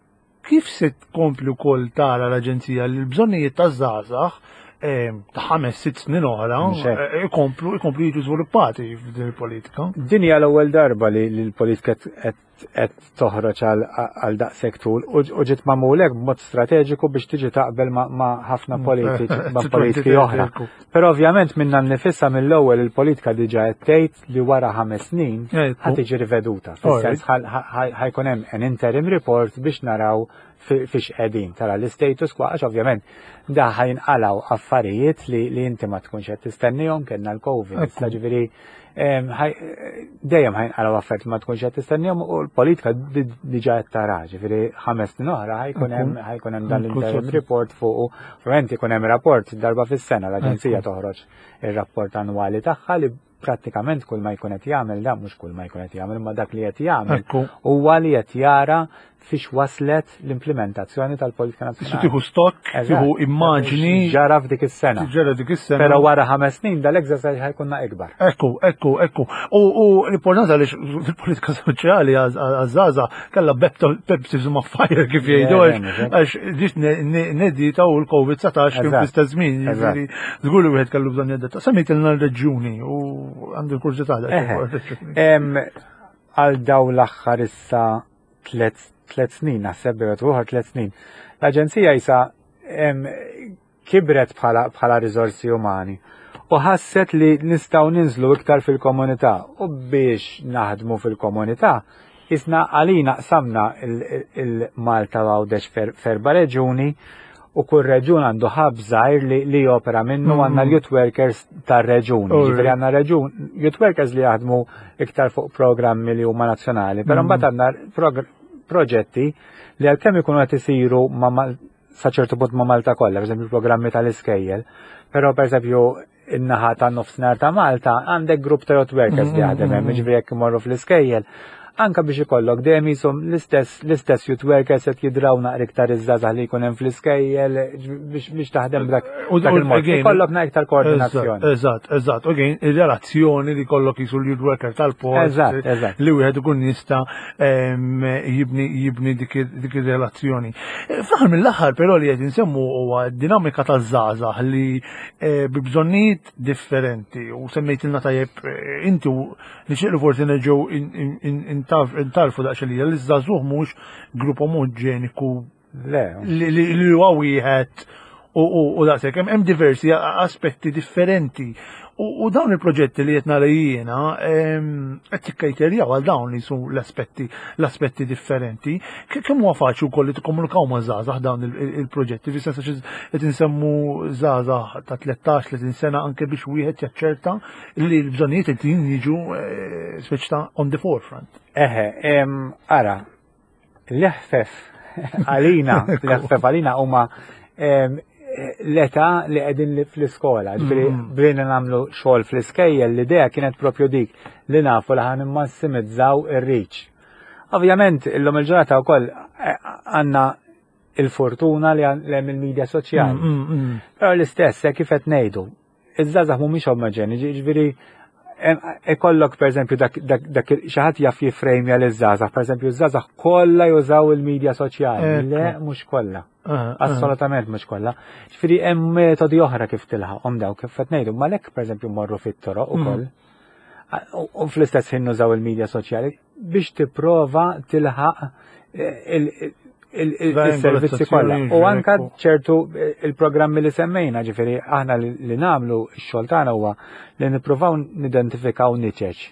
Kif se tkompli wkoll tara l-Aġenzija li l-bżonnijiet taż-żgħażagħ ta' ħames sitt snin oħra eh, ikomplu ikomplu jiġu żviluppati f'din il-politika? Din hija l-ewwel darba li l-politika qed qed toħroġ għal daqshekk tul u ġiet magħmul hekk b'mod strateġiku biex tiġi taqbel ma' ħafna mm. politiċi ma' politiki oħra. Però ovvjament minna nnifisha mill-ewwel il-politika diġà qed tgħid li wara ħames snin ħa tiġi riveduta. Fis-sens ħajkun hemm an interim report biex naraw fiex qegħdin tara l-status quo għax ovvjament da ħajnqalaw affarijiet li inti ma tkunx qed tistennihom kellna l-COVID. Ġifieri dejjem ħajnqalaw affarijiet ma tkunx qed tistennihom u l-politika diġà qed tara, ġifieri ħames snin oħra ħajkun hemm ħajkun hemm dan l-interim report fuq ovvjament ikun hemm rapport darba fis-sena l-aġenzija toħroġ ir-rapport annwali tagħha li Prattikament kull ma jkun qed jagħmel da mhux kull ma jkun qed jagħmel imma dak li qed jagħmel huwa li qed jara fiex waslet l-implementazzjoni tal-politika nazzjonali. Tieħu stock, tieħu immaġni. Ġara f'dik is-sena. Ġara dik is-sena. Però wara ħames snin dal-exercise ħajkunna ikbar. Ekku, ekku, ekku. U l-importanza li fil-politika soċjali għaż-żgħażagħ kellha baptism of fire kif jgħidu għax ġiet nedita u l-Covid-19 kien fl-istess żmien. Żgur li wieħed kellu bżonn jadatta. Semmejtilna l-reġjuni u għandi l-kurżità Għal daw l-aħħar issa tlet snin, naħseb bejn uħor tlet snin. L-Aġenzija jisa kibret bħala riżorsi umani u ħasset li nistgħu ninżlu iktar fil-komunità u biex naħdmu fil-komunità isna għalina qsamna il-Malta Għawdex ferba reġuni u kull reġun għandu ħab żgħir li, li jopera minnu mm. għandna l-youth workers tar-reġun. Ġifieri għandna reġun youth workers li jaħdmu iktar fuq programmi li huma nazzjonali, però mm. mbagħad għandna proġetti li għalkemm ikunu qed isiru ma' sa ċertu punt ma' Malta kollha, pereżempju programmi tal-iskejjel, però pereżempju in-naħa ta' nofsinhar ta' Malta għandek grupp ta' youth workers li jaħdem hemm, jiġifieri jekk imorru fl-iskejjel, anka biex ikollok dejjem jisom l-istess l-istess youth workers qed jidraw naqra iktar iż-żgħażagħ li jkun hemm fl-iskejjel biex taħdem b'dak il-mod. Ikollok naqra iktar koordinazzjoni. Eżatt, eżatt. U ir-relazzjoni li kollok jisu l-youth worker tal-post. Eżatt, eżatt. Li wieħed ikun jista' jibni jibni dik ir-relazzjoni. Fl-aħħar mill-aħħar però li qed insemmu huwa dinamika taż-żgħażagħ li Eh, bi bżonnijiet differenti u semmejtilna tajjeb eh, inti u nixtieq li forsi nerġgħu intarfu daqsxejn li l-żagħżugħ mhux grupp omoġeniku li huwa wieħed u daqshekk hemm diversi aspetti differenti. U dawn il-proġetti li qed nara jiena qed tikkajterjaw għal dawn li su l-aspetti l-aspetti differenti. Kemm huwa faċli wkoll li tikkomunikaw ma' żgħażagħ dawn il-proġetti, fis-sens għax qed insemmu żgħażagħ ta' 13-30 sena anke biex wieħed jaċċerta li l-bżonnijiet qed jiġu eh, speċi ta' on the forefront. Eħe, ara, l-eħfef għalina, l-eħfef għalina huma l-età li qegħdin fl-iskola. Ġifieri mm. bdejna nagħmlu xogħol fl-iskejjel, l-idea kienet propju dik li nafu li ħan immassimizzaw ir-reach. Ovvjament, illum il-ġurnata wkoll eh, għandna il-fortuna li hemm il-medja soċjali. Mm, mm, Però l-istess, eh, kif qed ngħidu, iż-żgħażagħ mhumiex omoġeni, ġifieri ikollok pereżempju dak dak xi ħadd jaf jiffrejmja liż-żgħażagħ, pereżempju ż-żgħażagħ kollha jużaw il-medja soċjali. Le mhux kollha. Ah, ah. Assolutament mhux kollha. Ġifieri hemm metodi oħra kif tilħaqhom dawk kif qed ngħidu, ma lek pereżempju morru fit-toroq mm. ukoll. U fl-istess ħin nużaw il-medja soċjali biex tipprova tilħaq eh, il-servizzi kollha. U anka ċertu eh, il-programmi li semmejna, ġifieri aħna li nagħmlu x-xogħol tagħna huwa li nippruvaw nidentifikaw niċeċ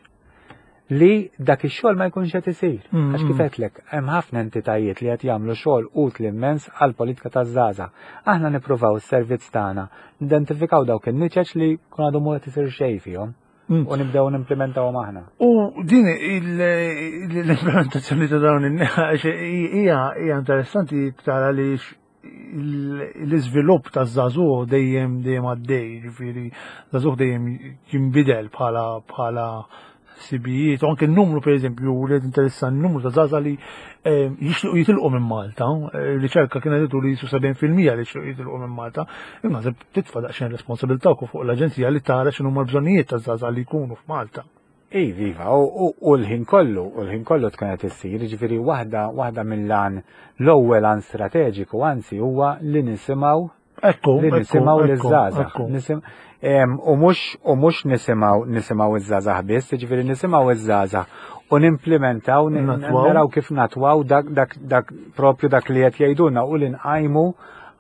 li dak ix-xogħol ma jkunx qed isir. Mm. Għax kif qedlek, hemm ħafna entitajiet li qed jagħmlu xogħol utli immens għal politika taż-żgħażagħ. Aħna nippruvaw is-servizz tagħna nidentifikaw dawk in-niċeċ li kun għadu mu qed isir xejn fihom. Mm. U nibdew nimplementawhom aħna. U din l-implementazzjoni ta' dawn hija hija interessanti tara li l-iżvilupp ta' żagħżugħ dejjem dejjem għaddej, ġifieri żagħżugħ dejjem jinbidel bħala bħala sibijiet, u anke n-numru per eżempju, li interessa n-numru ta' zaza li eh, jixtiequ jitilqu minn Malta, eh, riċerka kienet li jisu 70% li jixtiequ jitilqu minn Malta, imma titfa' daqsxejn responsabilità wkoll fuq l-aġenzija li tara x'inhuma l-bżonnijiet ta' zaza li jkunu f'Malta. Iva, iva, u l-ħin kollu, u l-ħin kollu tkun qed issir, jiġifieri waħda waħda mill-għan l-ewwel għan strateġiku anzi huwa li nisimgħu Ekku, li nisimgħu liż-żgħażagħ. U mhux u mhux nisimgħu nisimgħu iż-żgħażagħ biss, jiġifieri nisimgħu iż-żgħażagħ u nimplementaw naraw kif natwaw dak dak dak propju dak li qed jgħidulna u li nqajmu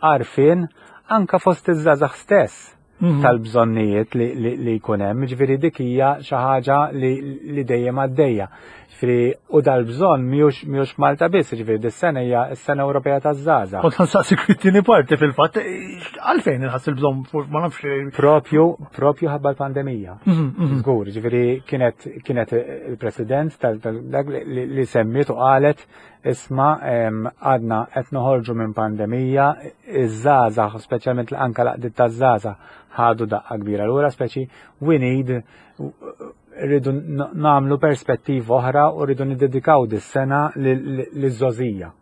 għarfien anka fost iż-żgħażagħ stess mhm. tal-bżonnijiet li jkun hemm, ġifieri dik hija xi ħaġa li dejjem għaddejja. Ġifieri u dal-bżonn mhijiex mhijiex Malta biss, ġifieri dis-sena hija s-sena Ewropea taż-żgħażagħ. Kont nsaqsik it-tieni parti fil-fatt, għalfejn inħass il-bżonn ma nafx. Propju, propju ħabba l-pandemija. Mhm, mhm. Żgur, ġifieri kienet kienet il-President tal-dak li semmiet u qalet isma' għadna qed noħorġu minn pandemija, iż-żgħażagħ, speċjalment anke l-għaqdiet taż-żgħażagħ ħadu daqqa kbira lura, speċi we need rridu nagħmlu perspettiva oħra u rridu niddedikaw dis-sena liż-żogħżija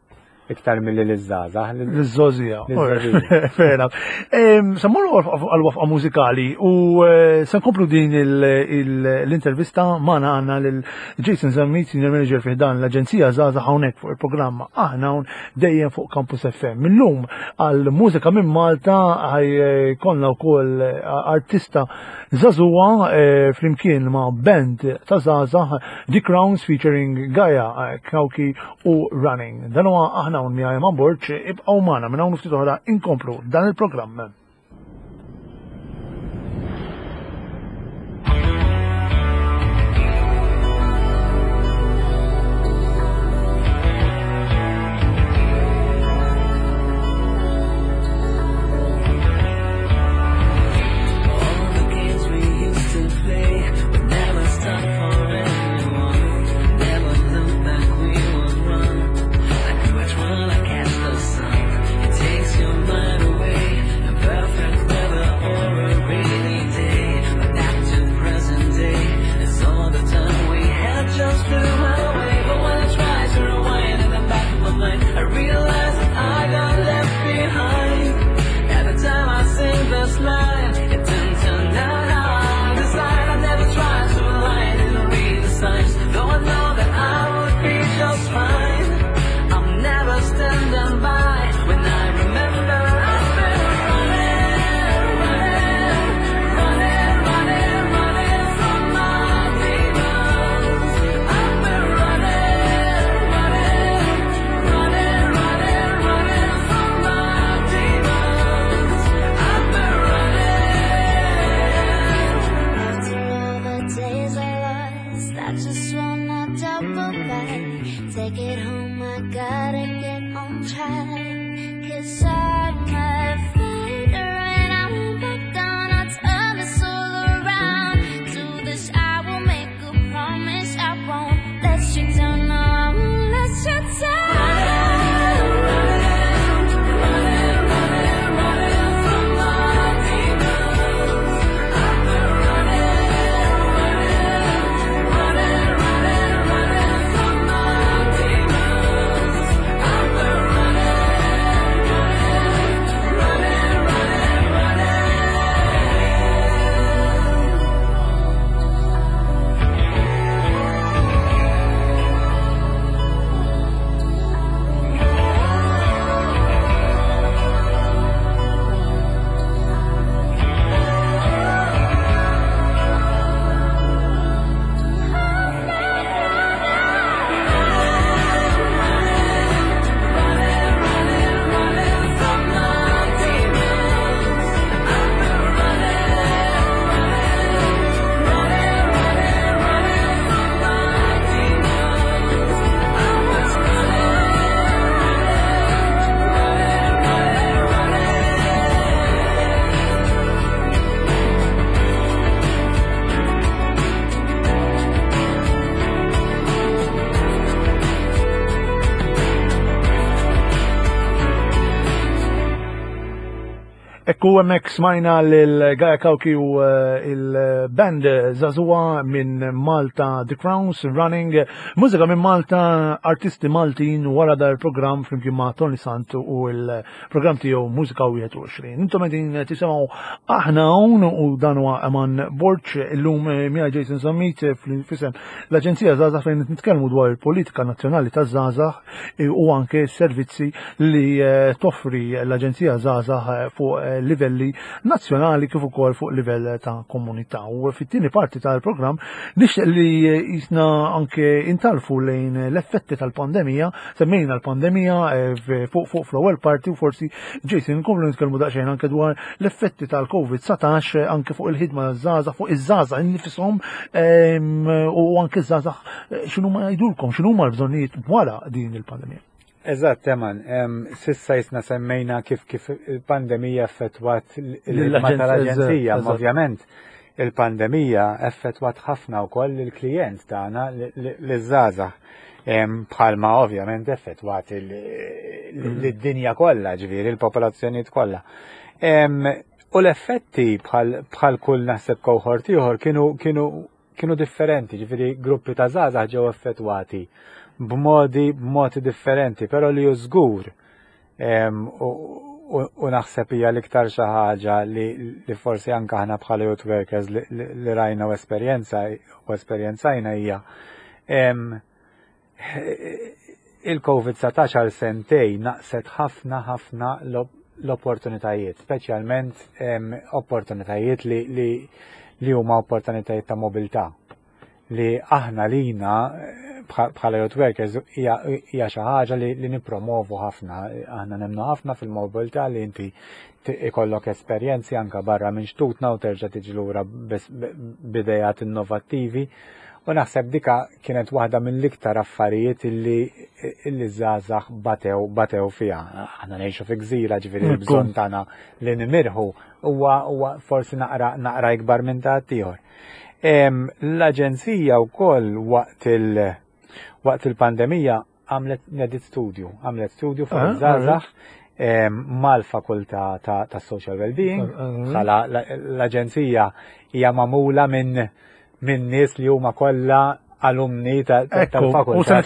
iktar milli liż-żgħażagħ. Liż-żogħżija. Fair enough. Se mmorru għal-waqfa mużikali u eh, se nkomplu din l-intervista magħna għandna lil Jason Zammit, Senior Manager fi dan l-Aġenzija Żgħażagħ hawnhekk fuq il-programma aħna hawn dejjem fuq Campus FM. Millum għal mużika minn Malta ħaj eh, konna wkoll eh, artista Żagħżugħa eh, flimkien ma' band ta' żgħażagħ The Crowns featuring Gaia, eh, Kauki u Running. Dan huwa aħna hawn miegħi ma' Borġ, ibqgħu magħna minn hawn ftit oħra inkomplu dan il-programm. Ekku hemmhekk smajna lil Gaia Kauki u eh, il-band Zazua minn Malta The Crowns Running. Mużika minn Malta, artisti Maltin wara dar programm flimkien ma' Tony Sant u l-programm tiegħu Mużika 21. Intom qegħdin tisimgħu aħna hawn u dan huwa Eman Borg illum eh, miegħi Jason Zammit eh, f'isem l-Aġenzija Żgħażagħ fejn nitkellmu dwar il-politika nazzjonali taż-żgħażagħ eh, u anke s-servizzi li toffri l-Aġenzija Żgħażagħ fuq livelli nazzjonali kif ukoll fuq livell ta' komunità. U fit-tieni parti tal-programm nixtieq li jisna anke intarfu lejn l-effetti tal-pandemija, semmejna l-pandemija eh, fuq fuq fl-ewwel parti u forsi Jason nkomplu nitkellmu daqsxejn anke dwar l-effetti tal-COVID-19 eh, anke fuq il-ħidma taż-żgħażagħ, fuq iż-żgħażagħ innifishom ehm, u anke ż-żgħażagħ eh, x'inhuma jgħidulkom, x'inhuma l-bżonnijiet wara din il-pandemija. Eżatt, Eman, sissa jisna semmejna kif kif il-pandemija effettwat l-ħidma tal-aġenzija, ovvjament il-pandemija effettwat ħafna wkoll il-klijent tagħna l-żgħażagħ. Bħalma ovvjament effettwat l-dinja kollha, ġifieri l-popolazzjonijiet kollha. U l-effetti bħal kull naħseb cohort ieħor kienu kienu kienu differenti, ġifieri gruppi ta' żgħażagħ ġew effettwati b'modi b'modi differenti, però li hu żgur u naħseb hija l-iktar xi ħaġa li, li forsi anke aħna bħala youth workers li, li, li rajna u esperjenza u esperjenzajna hija il-COVID-19 għal sentej naqset ħafna ħafna l-opportunitajiet, speċjalment opportunitajiet li, li, li huma opportunitajiet ta' mobilità li aħna lina bħala youth workers hija xi ħaġa li, li nippromovu ħafna. Aħna nemnu ħafna fil-mobilità li inti ikollok esperjenzi anka barra minn xtutna u terġa' tiġi lura b'idejat innovattivi. U naħseb dika kienet waħda mill-iktar affarijiet illi illi żgħażagħ batew batew fiha. Aħna ngħixu fi gżira ġifieri l-bżonn tagħna li nimirħu huwa huwa forsi naqra naqra ikbar minn ta' ieħor. L-aġenzija wkoll waqt il waqt il-pandemija għamlet nedit studju, għamlet studju fuq ah, iż-żgħażagħ mal-fakultà ta' social well-being, bħala l-aġenzija hija magħmula minn minn nies li huma kollha alumni tal-fakultà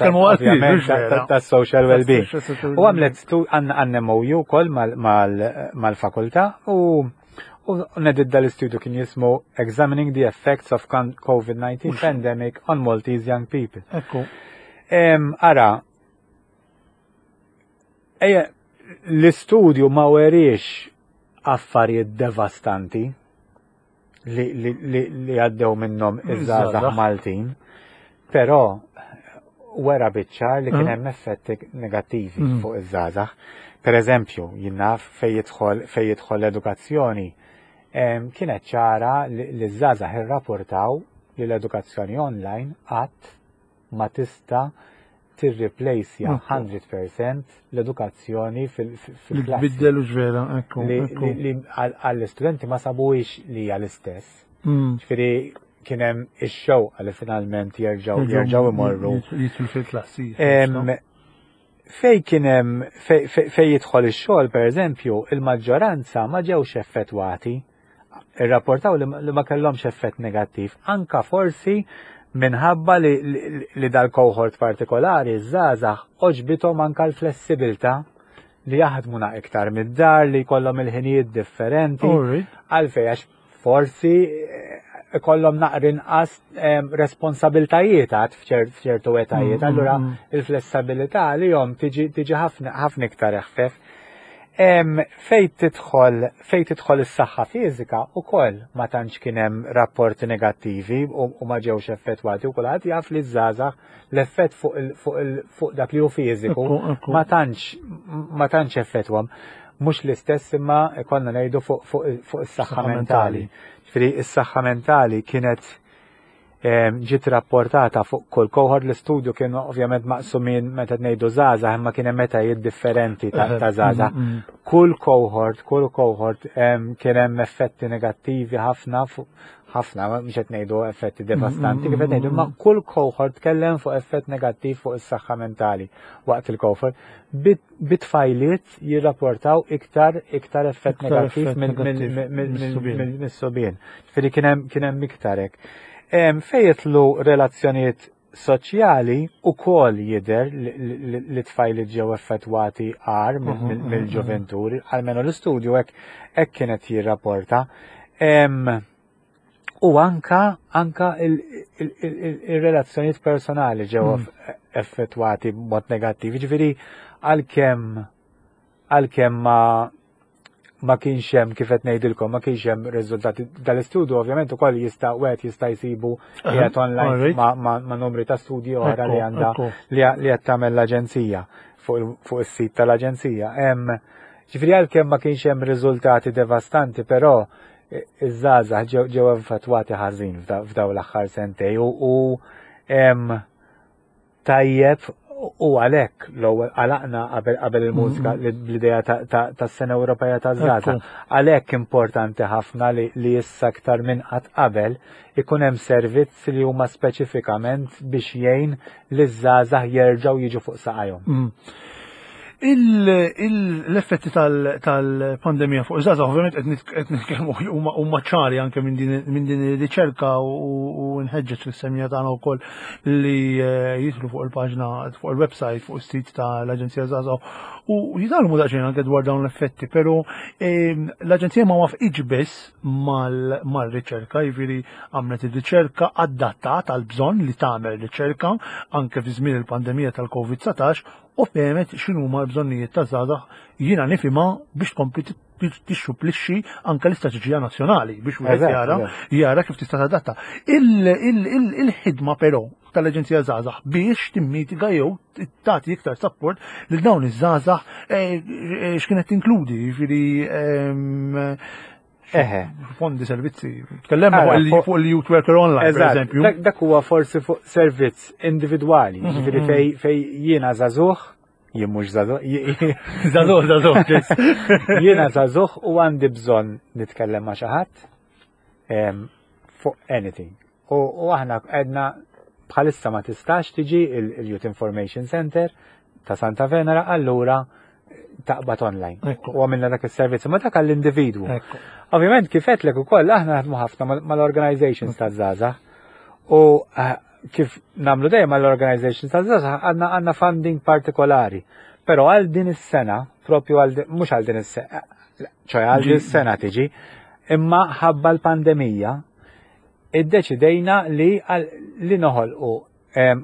tas-social well-being. U għamlet għandna MOU wkoll mal-fakultà u U nedid dal-istudju kien jismu Examining the Effects of COVID-19 Pandemic on Maltese Young People. Ekku. Ara, ejja, l-istudju ma weriex affarijiet devastanti li, li, li, li għaddew minnhom iż-żgħażagħ Maltin, però wera biċ-ċar li kien mm. hemm effetti negattivi mm. fuq iż-żgħażagħ. Per eżempju, jien naf fejn jidħol fejn jidħol l-edukazzjoni, kienet ċara li ż-żgħażagħ irrapportaw li l-edukazzjoni online qatt ma tista' tirriplejsja 100% l-edukazzjoni fil-klassi. Biddelu ġvera, ekku. Li għall-istudenti ma sabuhiex li hija l-istess. Mm. Ġifieri kien hemm ix-xewqa li finalment jerġgħu jerġgħu imorru. Jidħlu fil-klassi. Fej kien hemm fej jidħol ix-xogħol pereżempju, il-maġġoranza ma ġewx effettwati. Irrapportaw li ma kellhomx effett negattiv, anka forsi minħabba li, li dal-cohort partikolari żgħażagħ oġbithom anka l-flessibilità li jaħdmu na iktar mid-dar, li jkollhom il-ħinijiet differenti. Għalfej għax forsi eh, ikollhom naqra inqas eh, responsabiltajiet għad f'ċertu etajiet. Allura il-flessibilità li jom tiġi ħafna iktar eħfef. Fej tidħol fej tidħol is-saħħa fiżika ukoll ma tantx kien hemm rapporti negattivi u ma ġewx effettwati u kulħadd jaf li żgħażagħ l-effett fuq dak li hu fiżiku ma tantx ma tantx effettwhom. Mhux l-istess imma ikollna ngħidu fuq is-saħħa mentali. Ġifieri is-saħħa mentali kienet ġiet rapportata fuq kull cohort l-istudju kien ovvjament maqsumin meta ngħidu żgħażagħ imma kien hemm etajiet differenti ta' żgħażagħ. Mm, mm. Kull cohort, kull cohort kien hemm effetti negattivi ħafna ħafna, mhux qed ngħidu effetti devastanti, mm, kif qed ngħidu, imma kull cohort tkellem fuq effett negattiv fuq is-saħħa mentali waqt il-cohort bit-tfajliet jirrapportaw iktar iktar effett negattiv mis-subien. Ġifieri kien hemm iktar hekk. Fejn jidħlu relazzjonijiet soċjali ukoll jidher li tfajliet ġew effettwati agħar mhm, mhm, mhm. mill-ġuventuri, almenu l-istudju hekk kienet jirrapporta. U anka anka il-relazzjonijiet personali ġew mm. effettwati b'mod negattiv. Ġifieri għalkemm għalkemm ma ma kienx hemm kif qed ngħidilkom, ma kienx hemm riżultati dal-istudju ovvjament ukoll jista' wieħed jista' jsibu qiegħed online ma' numri ta' studji oħra li għandha li qed tagħmel l-aġenzija fuq is-sit tal-aġenzija. Hemm ġifieri għalkemm ma kienx hemm riżultati devastanti, però iż-żgħażagħ ġew affettwati ħażin f'dawn l-aħħar sentej u tajjeb u għalhekk l-ewwel għalaqna qabel qabel il-mużika mm-hmm. l-idea tas-sena Ewropea taż-żgħażagħ. Għalhekk importanti ħafna li issa aktar minn qatt qabel ikun hemm servizz li huma speċifikament biex jgħin li ż-żgħażagħ jerġgħu jiġu fuq saqajhom. Mm. L-effetti tal-pandemija fuq iż-żgħażagħ ovvjament qed nitkellmu huma ċari anke minn din ir-riċerka u nħeġġeġ lis-semija tagħna wkoll li eh, jidħlu fuq il-paġna fuq il-website fuq is-sit tal-Aġenzija Żgħażagħ u jitgħallmu daqsxejn anke dwar dawn l-effetti, però ehm, l-Aġenzija ma wafqitx biss mal-riċerka, jiġifieri għamlet ir-riċerka adattat għal bżonn li tagħmel riċerka anke fi żmien il-pandemija tal-COVID-19 u fehmet x'inhuma l-bżonnijiet taż-żgħażagħ jiena nifhimha biex tkompli tixxuplixxi anke l-istrateġija nazzjonali biex wieħed jara jara kif tista' tadatta. Il-ħidma però tal-Aġenzija Żgħażagħ biex timmitiga jew tagħti iktar support lil dawn iż-żgħażagħ eh, eh, x'kienet tinkludi, jiġifieri ehm, Eħe. Fondi servizzi. Tkellemna fuq il-Youth Worker Online, per eżempju. Dak huwa forsi fuq servizz individwali, mhm, ġifieri mhm. fej fej jiena żagħżugħ, jien mhux żagħżugħ. Żagħżugħ, żagħżugħ. Jiena żagħżugħ u għandi bżonn nitkellem ma' xi ħadd fuq anything. U aħna għedna bħalissa ma tistax tiġi il-Youth Information Center ta' Santa Venera, allura taqbad online. U għamilna dak il-servizz, ma dak għall-individwu. Ovvjament kif għedtlek ukoll aħna naħdmu ħafna mal-organizations ta' żgħażagħ. U eh, kif namlu dejjem mal-organizations ta' żgħażagħ għandna għandna funding partikolari. Però għal din is-sena, propju għal mhux għal din is-sena, ċoj għal din is-sena tiġi, imma ħabba l-pandemija, iddeċidejna li li noħolqu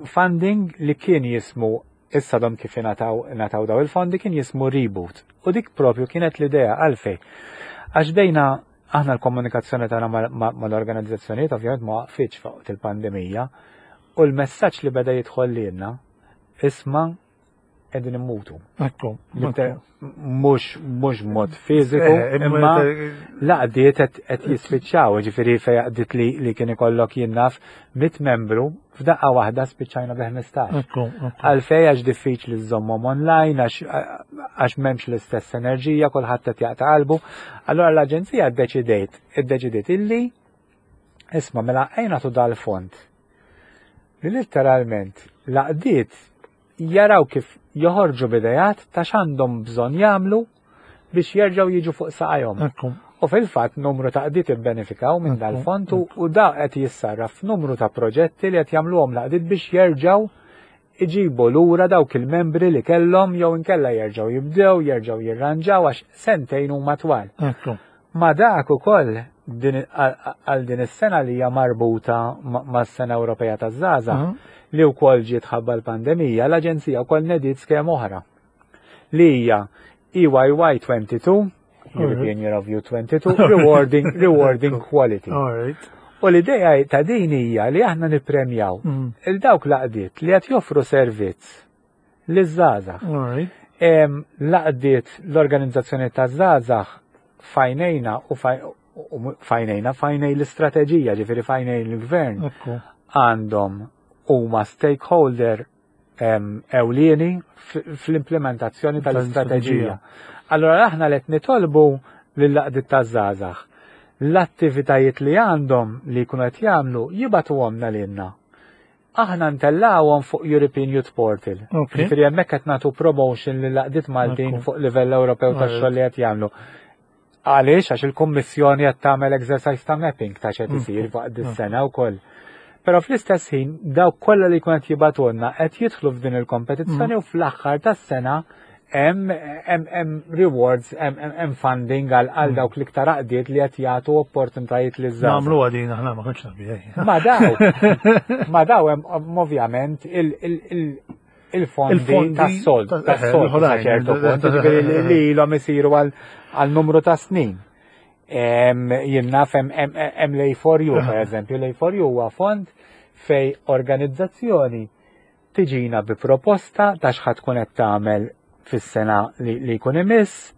funding li kien jismu issa dom kif ingħataw daw il-fondi kien jismu reboot. U dik propju kienet l-idea għalfej. Għax bejna aħna l-komunikazzjoni tagħna mal-organizzazzjonijiet ovvjament ma waqfitx fuq il-pandemija u l-messaġġ li beda jidħol lilna isma' qegħdin immutu. Ekku. Mhux mhux mod fiżiku, eh, imma laqdiet qed jispiċċaw, ġifieri fejn għaqdiet li, li kien ikollok jien naf mit membru f'daqqa waħda spiċċajna bi 15. Għalfej għax diffiċli żżommhom online, għax m'hemmx l-istess enerġija, kulħadd qed jaqta' qalbu. Allura l-aġenzija ddeċidejt, iddeċidiet illi isma' mela ejna tu dal-fond li letteralment laqdiet jaraw kif joħorġu b'idejat ta' x'għandhom bżonn jagħmlu biex jerġgħu jiġu fuq saqajhom. U fil-fatt numru ta' qdiet ibbenefikaw minn dal-fond u da qed jissarraf f'numru ta' proġetti li qed jagħmluhom l-għaqdiet biex jerġgħu iġibu lura dawk il-membri li kellhom jew inkella jerġgħu jibdew, jerġgħu jirranġaw għax sentejn huma twal. Ma dak ukoll għal din is-sena li hija marbuta mas-Sena Ewropea taż-Żgħażagħ mhm. li wkoll ġiet ħabba l-pandemija, l-Aġenzija wkoll nediet skema oħra li hija EYY 22, European Year of Youth 22, rewarding, rewarding quality. U l-idea ta' din hija li aħna nippremjaw mm. il-dawk laqdiet li qed joffru servizz liż-żgħażagħ. L-għaqdiet l-organizzazzjoni taż-żgħażagħ fajnejna u fajnejna fajnej l-istrateġija, ġifieri fajnej l-gvern għandhom huma stakeholder ewlieni fl-implementazzjoni tal-istrateġija. Allora aħna qed nitolbu lill-għaqdiet taż-żgħażagħ l-attivitajiet li għandhom li jkunu qed jagħmlu jibagħtuhomna lilna Aħna ntellgħuhom fuq European Youth Portal. Ġifieri hemmhekk qed nagħtu promotion lil għaqdiet Maltin fuq livell Ewropew tax-xogħol li qed jagħmlu. Għaliex? Għax il-Kummissjoni qed tagħmel exercise ta' mapping ta' x'qed isir waqt dis-sena wkoll. Però fl-istess ħin dawk kollha li jkun qed jibgħatulna qed jidħlu f'din il-kompetizzjoni u fl-aħħar tas-sena hemm rewards, hemm funding għal mm. dawk l-iktar għaqdiet li qed jagħtu opportunitajiet li żgħar. Nagħmlu għadin aħna ma kontx naf Ma daw, ma daw hemm ovvjament il-fondi tas-sold, tas-sold sa ċertu punt, jiġifieri li ilhom isiru għal numru ta' snin. Jien naf hemm l-A4U, per eżempju, l-A4U huwa fond fej organizzazzjoni tiġina bi proposta ta' x'ħa tkun qed tagħmel fis-sena li jkun imiss.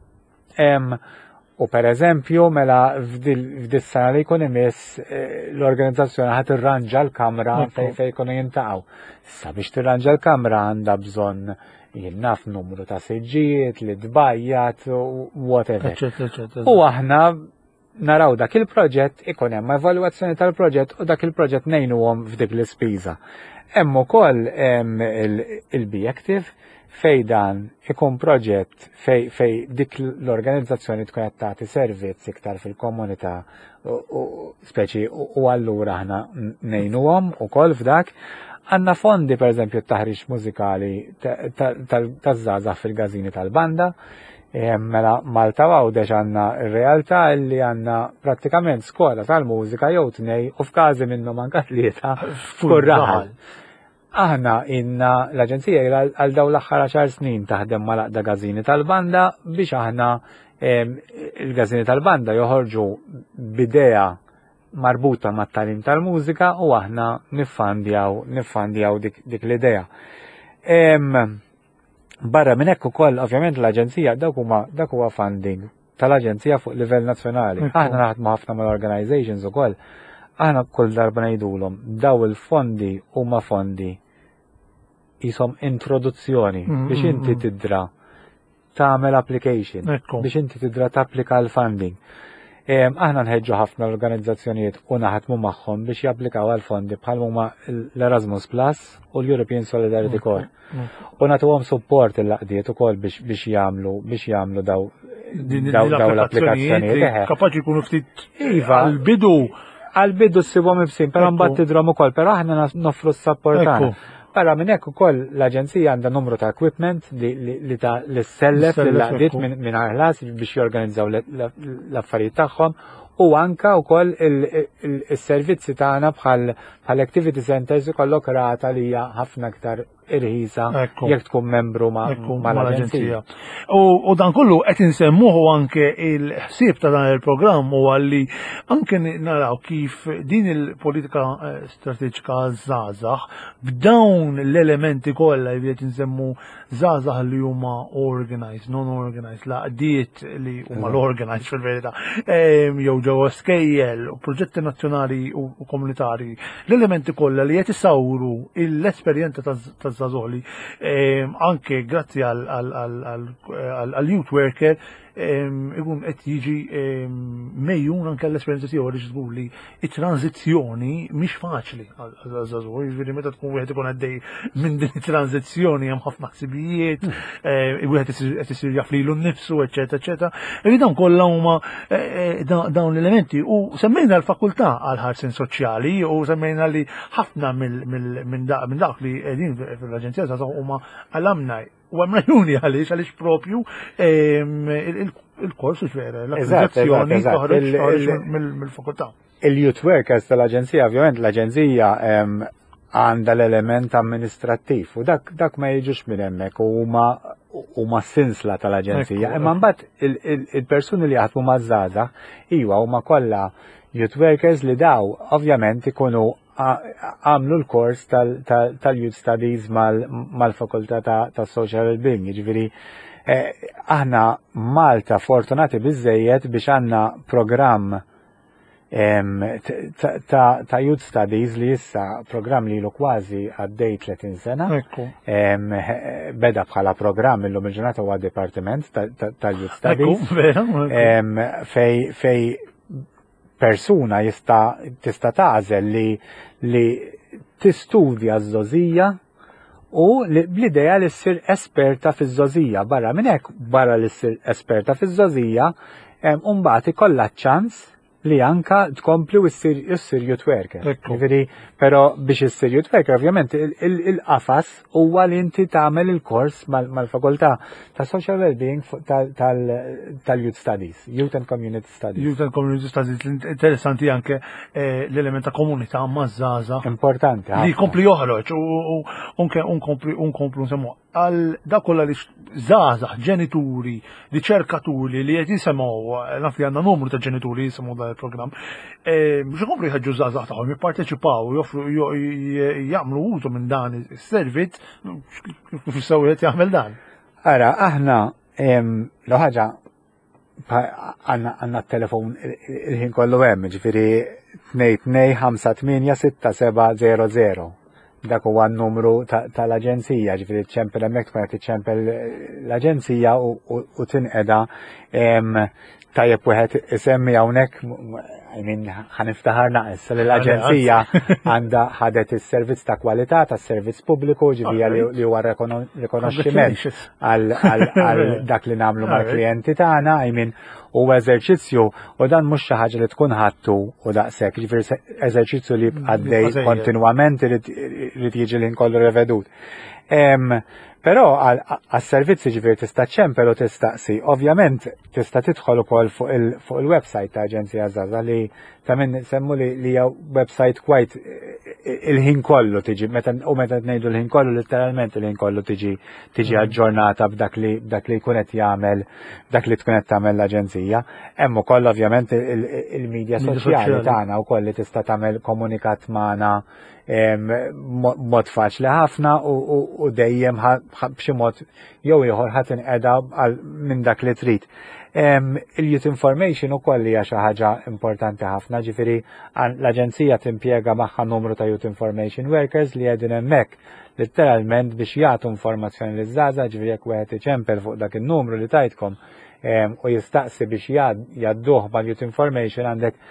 U per eżempju, mela f'dis-sena li jkun imiss eh, l-organizzazzjoni ħa tirranġa l-kamra fejn fejn jkunu jintaqgħu. Issa biex tirranġa l-kamra għandha bżonn jien naf numru ta' siġġijiet li tbajjat whatever. U aħna naraw dak il-proġett, ikun hemm evalwazzjoni tal-proġett u dak il-proġett ngħinuhom f'dik l-ispiża. Hemm ukoll il-Be Active fej dan ikun proġett fej, fej dik l-organizzazzjoni tkun qed tagħti servizz iktar fil-komunità u speċi u allura aħna ngħinuhom ukoll f'dak. Għandna fondi pereżempju t-taħriġ mużikali taż-żgħażagħ fil-gażini tal-banda. Mela Malta Għawdex għandna r-realtà li għandna prattikament skola tal-mużika jew tnej u f'każi minnhom anka tlieta f'kull raħal. Aħna inna l-Aġenzija ilha għal dawn l-aħħar għaxar snin taħdem mal-Għaqda Gażini tal-Banda biex aħna il-Gażini tal-Banda joħorġu b'idea marbuta mat-tagħlim tal-mużika u aħna niffandjaw niffandjaw dik, dik l-idea. Barra minn hekk ukoll ovvjament l-Aġenzija dak huma dak huwa funding tal-Aġenzija fuq livell nazzjonali. Aħna naħdmu ħafna mal-organizations ukoll. Aħna kull darba ngħidulhom daw il-fondi huma fondi jisom introduzzjoni mm, biex mm, inti mm. tidra tagħmel application biex inti tidra tapplika l-funding. Aħna nħeġġu ħafna l-organizzazzjonijiet u naħdmu magħhom biex japplikaw għal fondi bħal huma l-Erasmus Plus u l-European Solidarity Corps. U nagħtuhom support il-laqdiet ukoll biex jagħmlu biex jagħmlu daw daw l-applikazzjonijiet. Kapaċi jkunu ftit iva għal-bidu. Għal-bidu ssibhom ibsin, però mbagħad tidhom ukoll, però aħna noffru s-support tagħna. Barra minn hekk ukoll l-aġenzija għandha numru ta' equipment li ta' l-sellef lill-għaqdiet minn ħlas biex jorganizzaw l-affarijiet tagħhom u anka wkoll is-servizzi tagħna bħal activity centers ikollok rata li hija ħafna aktar irħisa jekk tkun membru mal-aġenzija. U dan kollu qed insemmuhu anke il-ħsieb ta' dan il-programm huwa li anke naraw kif din il-politika eh, strateġika żgħażagħ b'dawn l-elementi kollha li qed insemmu żgħażagħ li huma organized, non-organized, laqdiet li huma l-organized fil-verità, jew ġewwa skejjel u proġetti nazzjonali u komunitari, l-elementi kollha li qed isawru l-esperjenza taż-żgħażagħ li anke grazzi għal youth worker ikun qed jiġi mejjun anke l-esperjenza tiegħu għaliex żgur li it-tranzizzjoni mhix faċli għal-żagħżugħ, jiġifieri meta tkun wieħed ikun għaddej minn din it-tranzizzjoni hemm ħafna ħsibijiet, eh, wieħed qed isir jaf lilu nnifsu, eċetera, eċetera. Jiġifieri dawn kollha huma eh, eh, dawn l-elementi u semmejna l-fakultà għal ħarsin soċjali u semmejna li ħafna minn dak li qegħdin fl-Aġenzija żagħżugħ huma alumni U hemm raġuni għaliex għaliex propju ehm, il-kors vera, l-akkreditazzjoni toħroġ mill-fakultà. Il-youth workers tal-aġenzija, ovvjament l-aġenzija ehm, għandha l-element amministrattiv u dak, dak ma jiġux minn hemmhekk u huma huma sinsla tal-aġenzija. Imma mbagħad il-persuni li jaħdmu maż-żgħażagħ iwa huma kollha youth workers li daw ovvjament ikunu għamlu l-kors tal-Youth Studies mal-Fakultà ta' Social Wellbeing, jiġifieri eh, aħna Malta fortunati biżejjed biex għandna programm ta' Youth Studies li issa programm li ilu kważi għaddej 30 sena. Beda bħala programm illum il-ġurnata huwa Dipartiment tal-Youth Studies. Fej fej persuna jista' tista' tagħżel li li tistudja ż-żogħżija u bl-idea li ssir esperta fiż-żogħżija. Barra minn hekk, barra li ssir esperta fiż-żogħżija, mbagħad ikollha ċans li anka tkompli u ssir youth worker. Ġifieri, però biex issir youth worker, ovvjament il-qafas huwa li inti tagħmel il-kors mal-fakultà ta' Social Wellbeing tal-Youth Studies, Youth and Community Studies. Youth and Community Studies, interessanti anke eh, l-element ta' komunità maż-żgħażagħ. Importanti. Li jkompli joħroġ u unkomplu nsemmu għal dak kollha li żgħażagħ, ġenituri, riċerkaturi li qed jisemgħu, naf li għandna numru ta' ġenituri jisimgħu dan il-programm, eh, biex ikomplu jħeġġu żgħażagħ tagħhom jipparteċipaw, joffru jagħmlu użu minn dan is-servizz, kif jistgħu wieħed jagħmel dan. Ara, aħna l ħaġa għanna t-telefon il-ħin kollu hemm, ġifieri 22586700. Dak huwa n-numru tal-aġenzija, ġifieri ċempel hemmhekk tkun qed iċċempel l-aġenzija u tinqeda tajjeb wieħed isemmi hawnhekk I mean, ħaniftaħar naqs li l-aġenzija għandha ħadet is-servizz ta' kwalità tas-servizz pubbliku ġivija li huwa rikonoxximent għal dak li nagħmlu mal-klijenti tagħna, I mean, huwa eżerċizzju u dan mhux xi ħaġa li tkun ħattu u daqshekk, ġifieri eżerċizzju li għaddej kontinwament irid jiġi li nkollu revedut. Però għas-servizzi ġifieri tista' ċempel u tistaqsi. Ovvjament tista' tidħol ukoll fuq il-website ta' Aġenzija Żgħażagħ li ta' min semmu li hija website quite il-ħin kollu tiġi meta u meta ngħidu l-ħin kollu letteralment il-ħin kollu tiġi tiġi mm. aġġornata b'dak li b'dak li jkun qed jagħmel dak li tkun qed tagħmel l-aġenzija. Hemm ukoll ovvjament il-medja soċjali tagħna wkoll li tista' tagħmel komunikat magħna mod faċli ħafna u dejjem b'xi mod jew ieħor ħadd inqeda minn dak li trid. Il-youth information ukoll hija xi ħaġa importanti ħafna, ġifieri l-aġenzija timpjega magħha numru ta' youth information workers li qegħdin hemmhekk letteralment biex jagħtu informazzjoni liż-żgħażagħ, ġifieri jekk wieħed iċempel fuq dak in-numru li tajtkom u jistaqsi biex jgħadduh mal-youth information għandek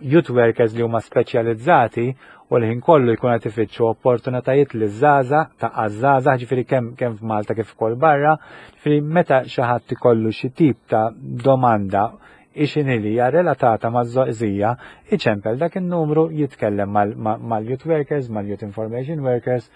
youth workers li huma speċjalizzati u l-ħin kollu jkun qed ifittxu opportunitajiet li żgħażagħ ta' għaż-żgħażagħ ġifieri kemm kemm f'Malta kif ukoll barra, ġifieri meta xi ħadd ikollu xi tip ta' domanda ixinhi li hija relatata maż-żgħożija, iċempel dak in-numru jitkellem mal-youth workers, mal-youth information workers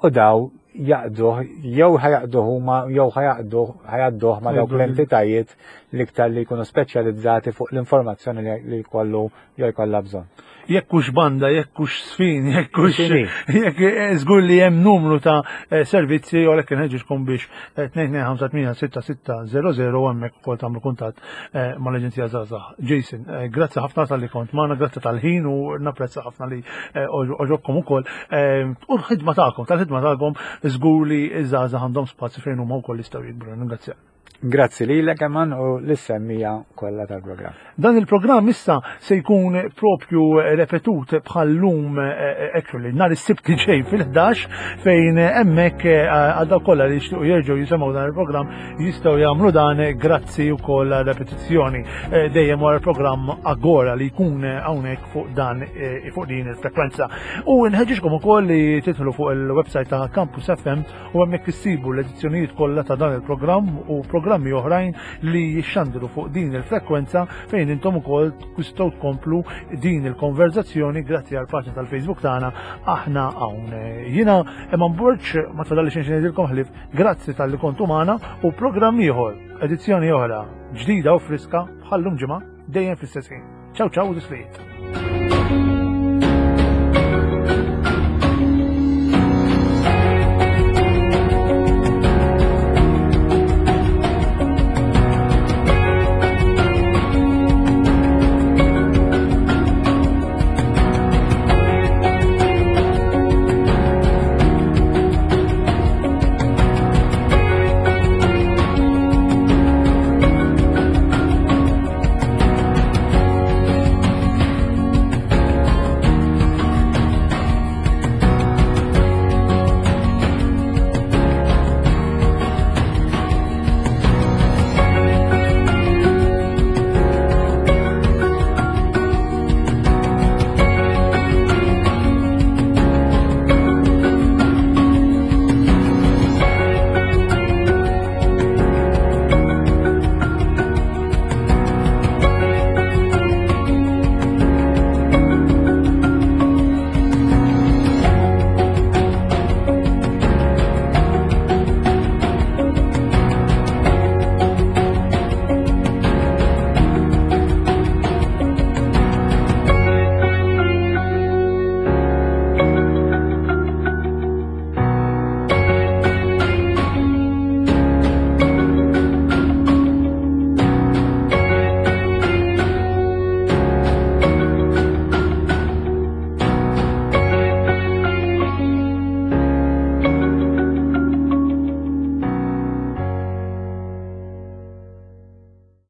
u daw jaqduh jew ħajaqduh huma jew ħajaqduh ħajadduh ma' dawk l-entitajiet l-iktar li jkunu speċjalizzati fuq l-informazzjoni li jkollu jew jkollha bżonn. Jekk hux banda, jekk hux sfin, jekk hux jekk eh, żgur li hemm numru ta' eh, servizzi u għalhekk inħeġġiġkom biex 2258 eh, u hemmhekk ukoll tagħmlu kuntatt mal-Aġenzija Żgħażagħ. Jason, grazzi ħafna tal-li kont magħna, grazzi tal-ħin u napprezza ħafna li oġobkom ukoll. U l-ħidma tagħkom, tal-ħidma tagħkom żgur li ż-żgħażagħ għandhom spazju fejn huma wkoll jistgħu jikbru. Ningrazzjak. Grazzi lilek Eman u lis-semmija kollha tal-programm. Dan il-programm issa se jkun propju repetut bħal-lum eh, eh, actually nhar is-Sibt li ġej fil-11 fejn hemmhekk eh, għal dawk kollha li jixtiequ jerġgħu jisimgħu dan il-programm jistgħu jagħmlu dan grazzi wkoll repetizzjoni dejjem wara l-programm Agora li jkun hawnhekk fuq dan fuq din il-frekwenza. U nħeġġiġkom ukoll li tidħlu fuq il-website ta' Campus FM u hemmhekk issibu l-edizzjonijiet kollha ta' dan il-programm u programmi oħrajn li jixxandru fuq din il-frekwenza fejn intom ukoll tistgħu tkomplu din il-konverzazzjoni grazzi għal paġna tal-Facebook tagħna aħna hawn. Jiena Eman Borg ma tfadalli xejn ngħidilkom ħlief grazzi talli kontu magħna u programm ieħor, edizzjoni oħra ġdida u friska bħallum ġimgħa dejjem fl-istess ħin. Ciao ciao u tislijiet.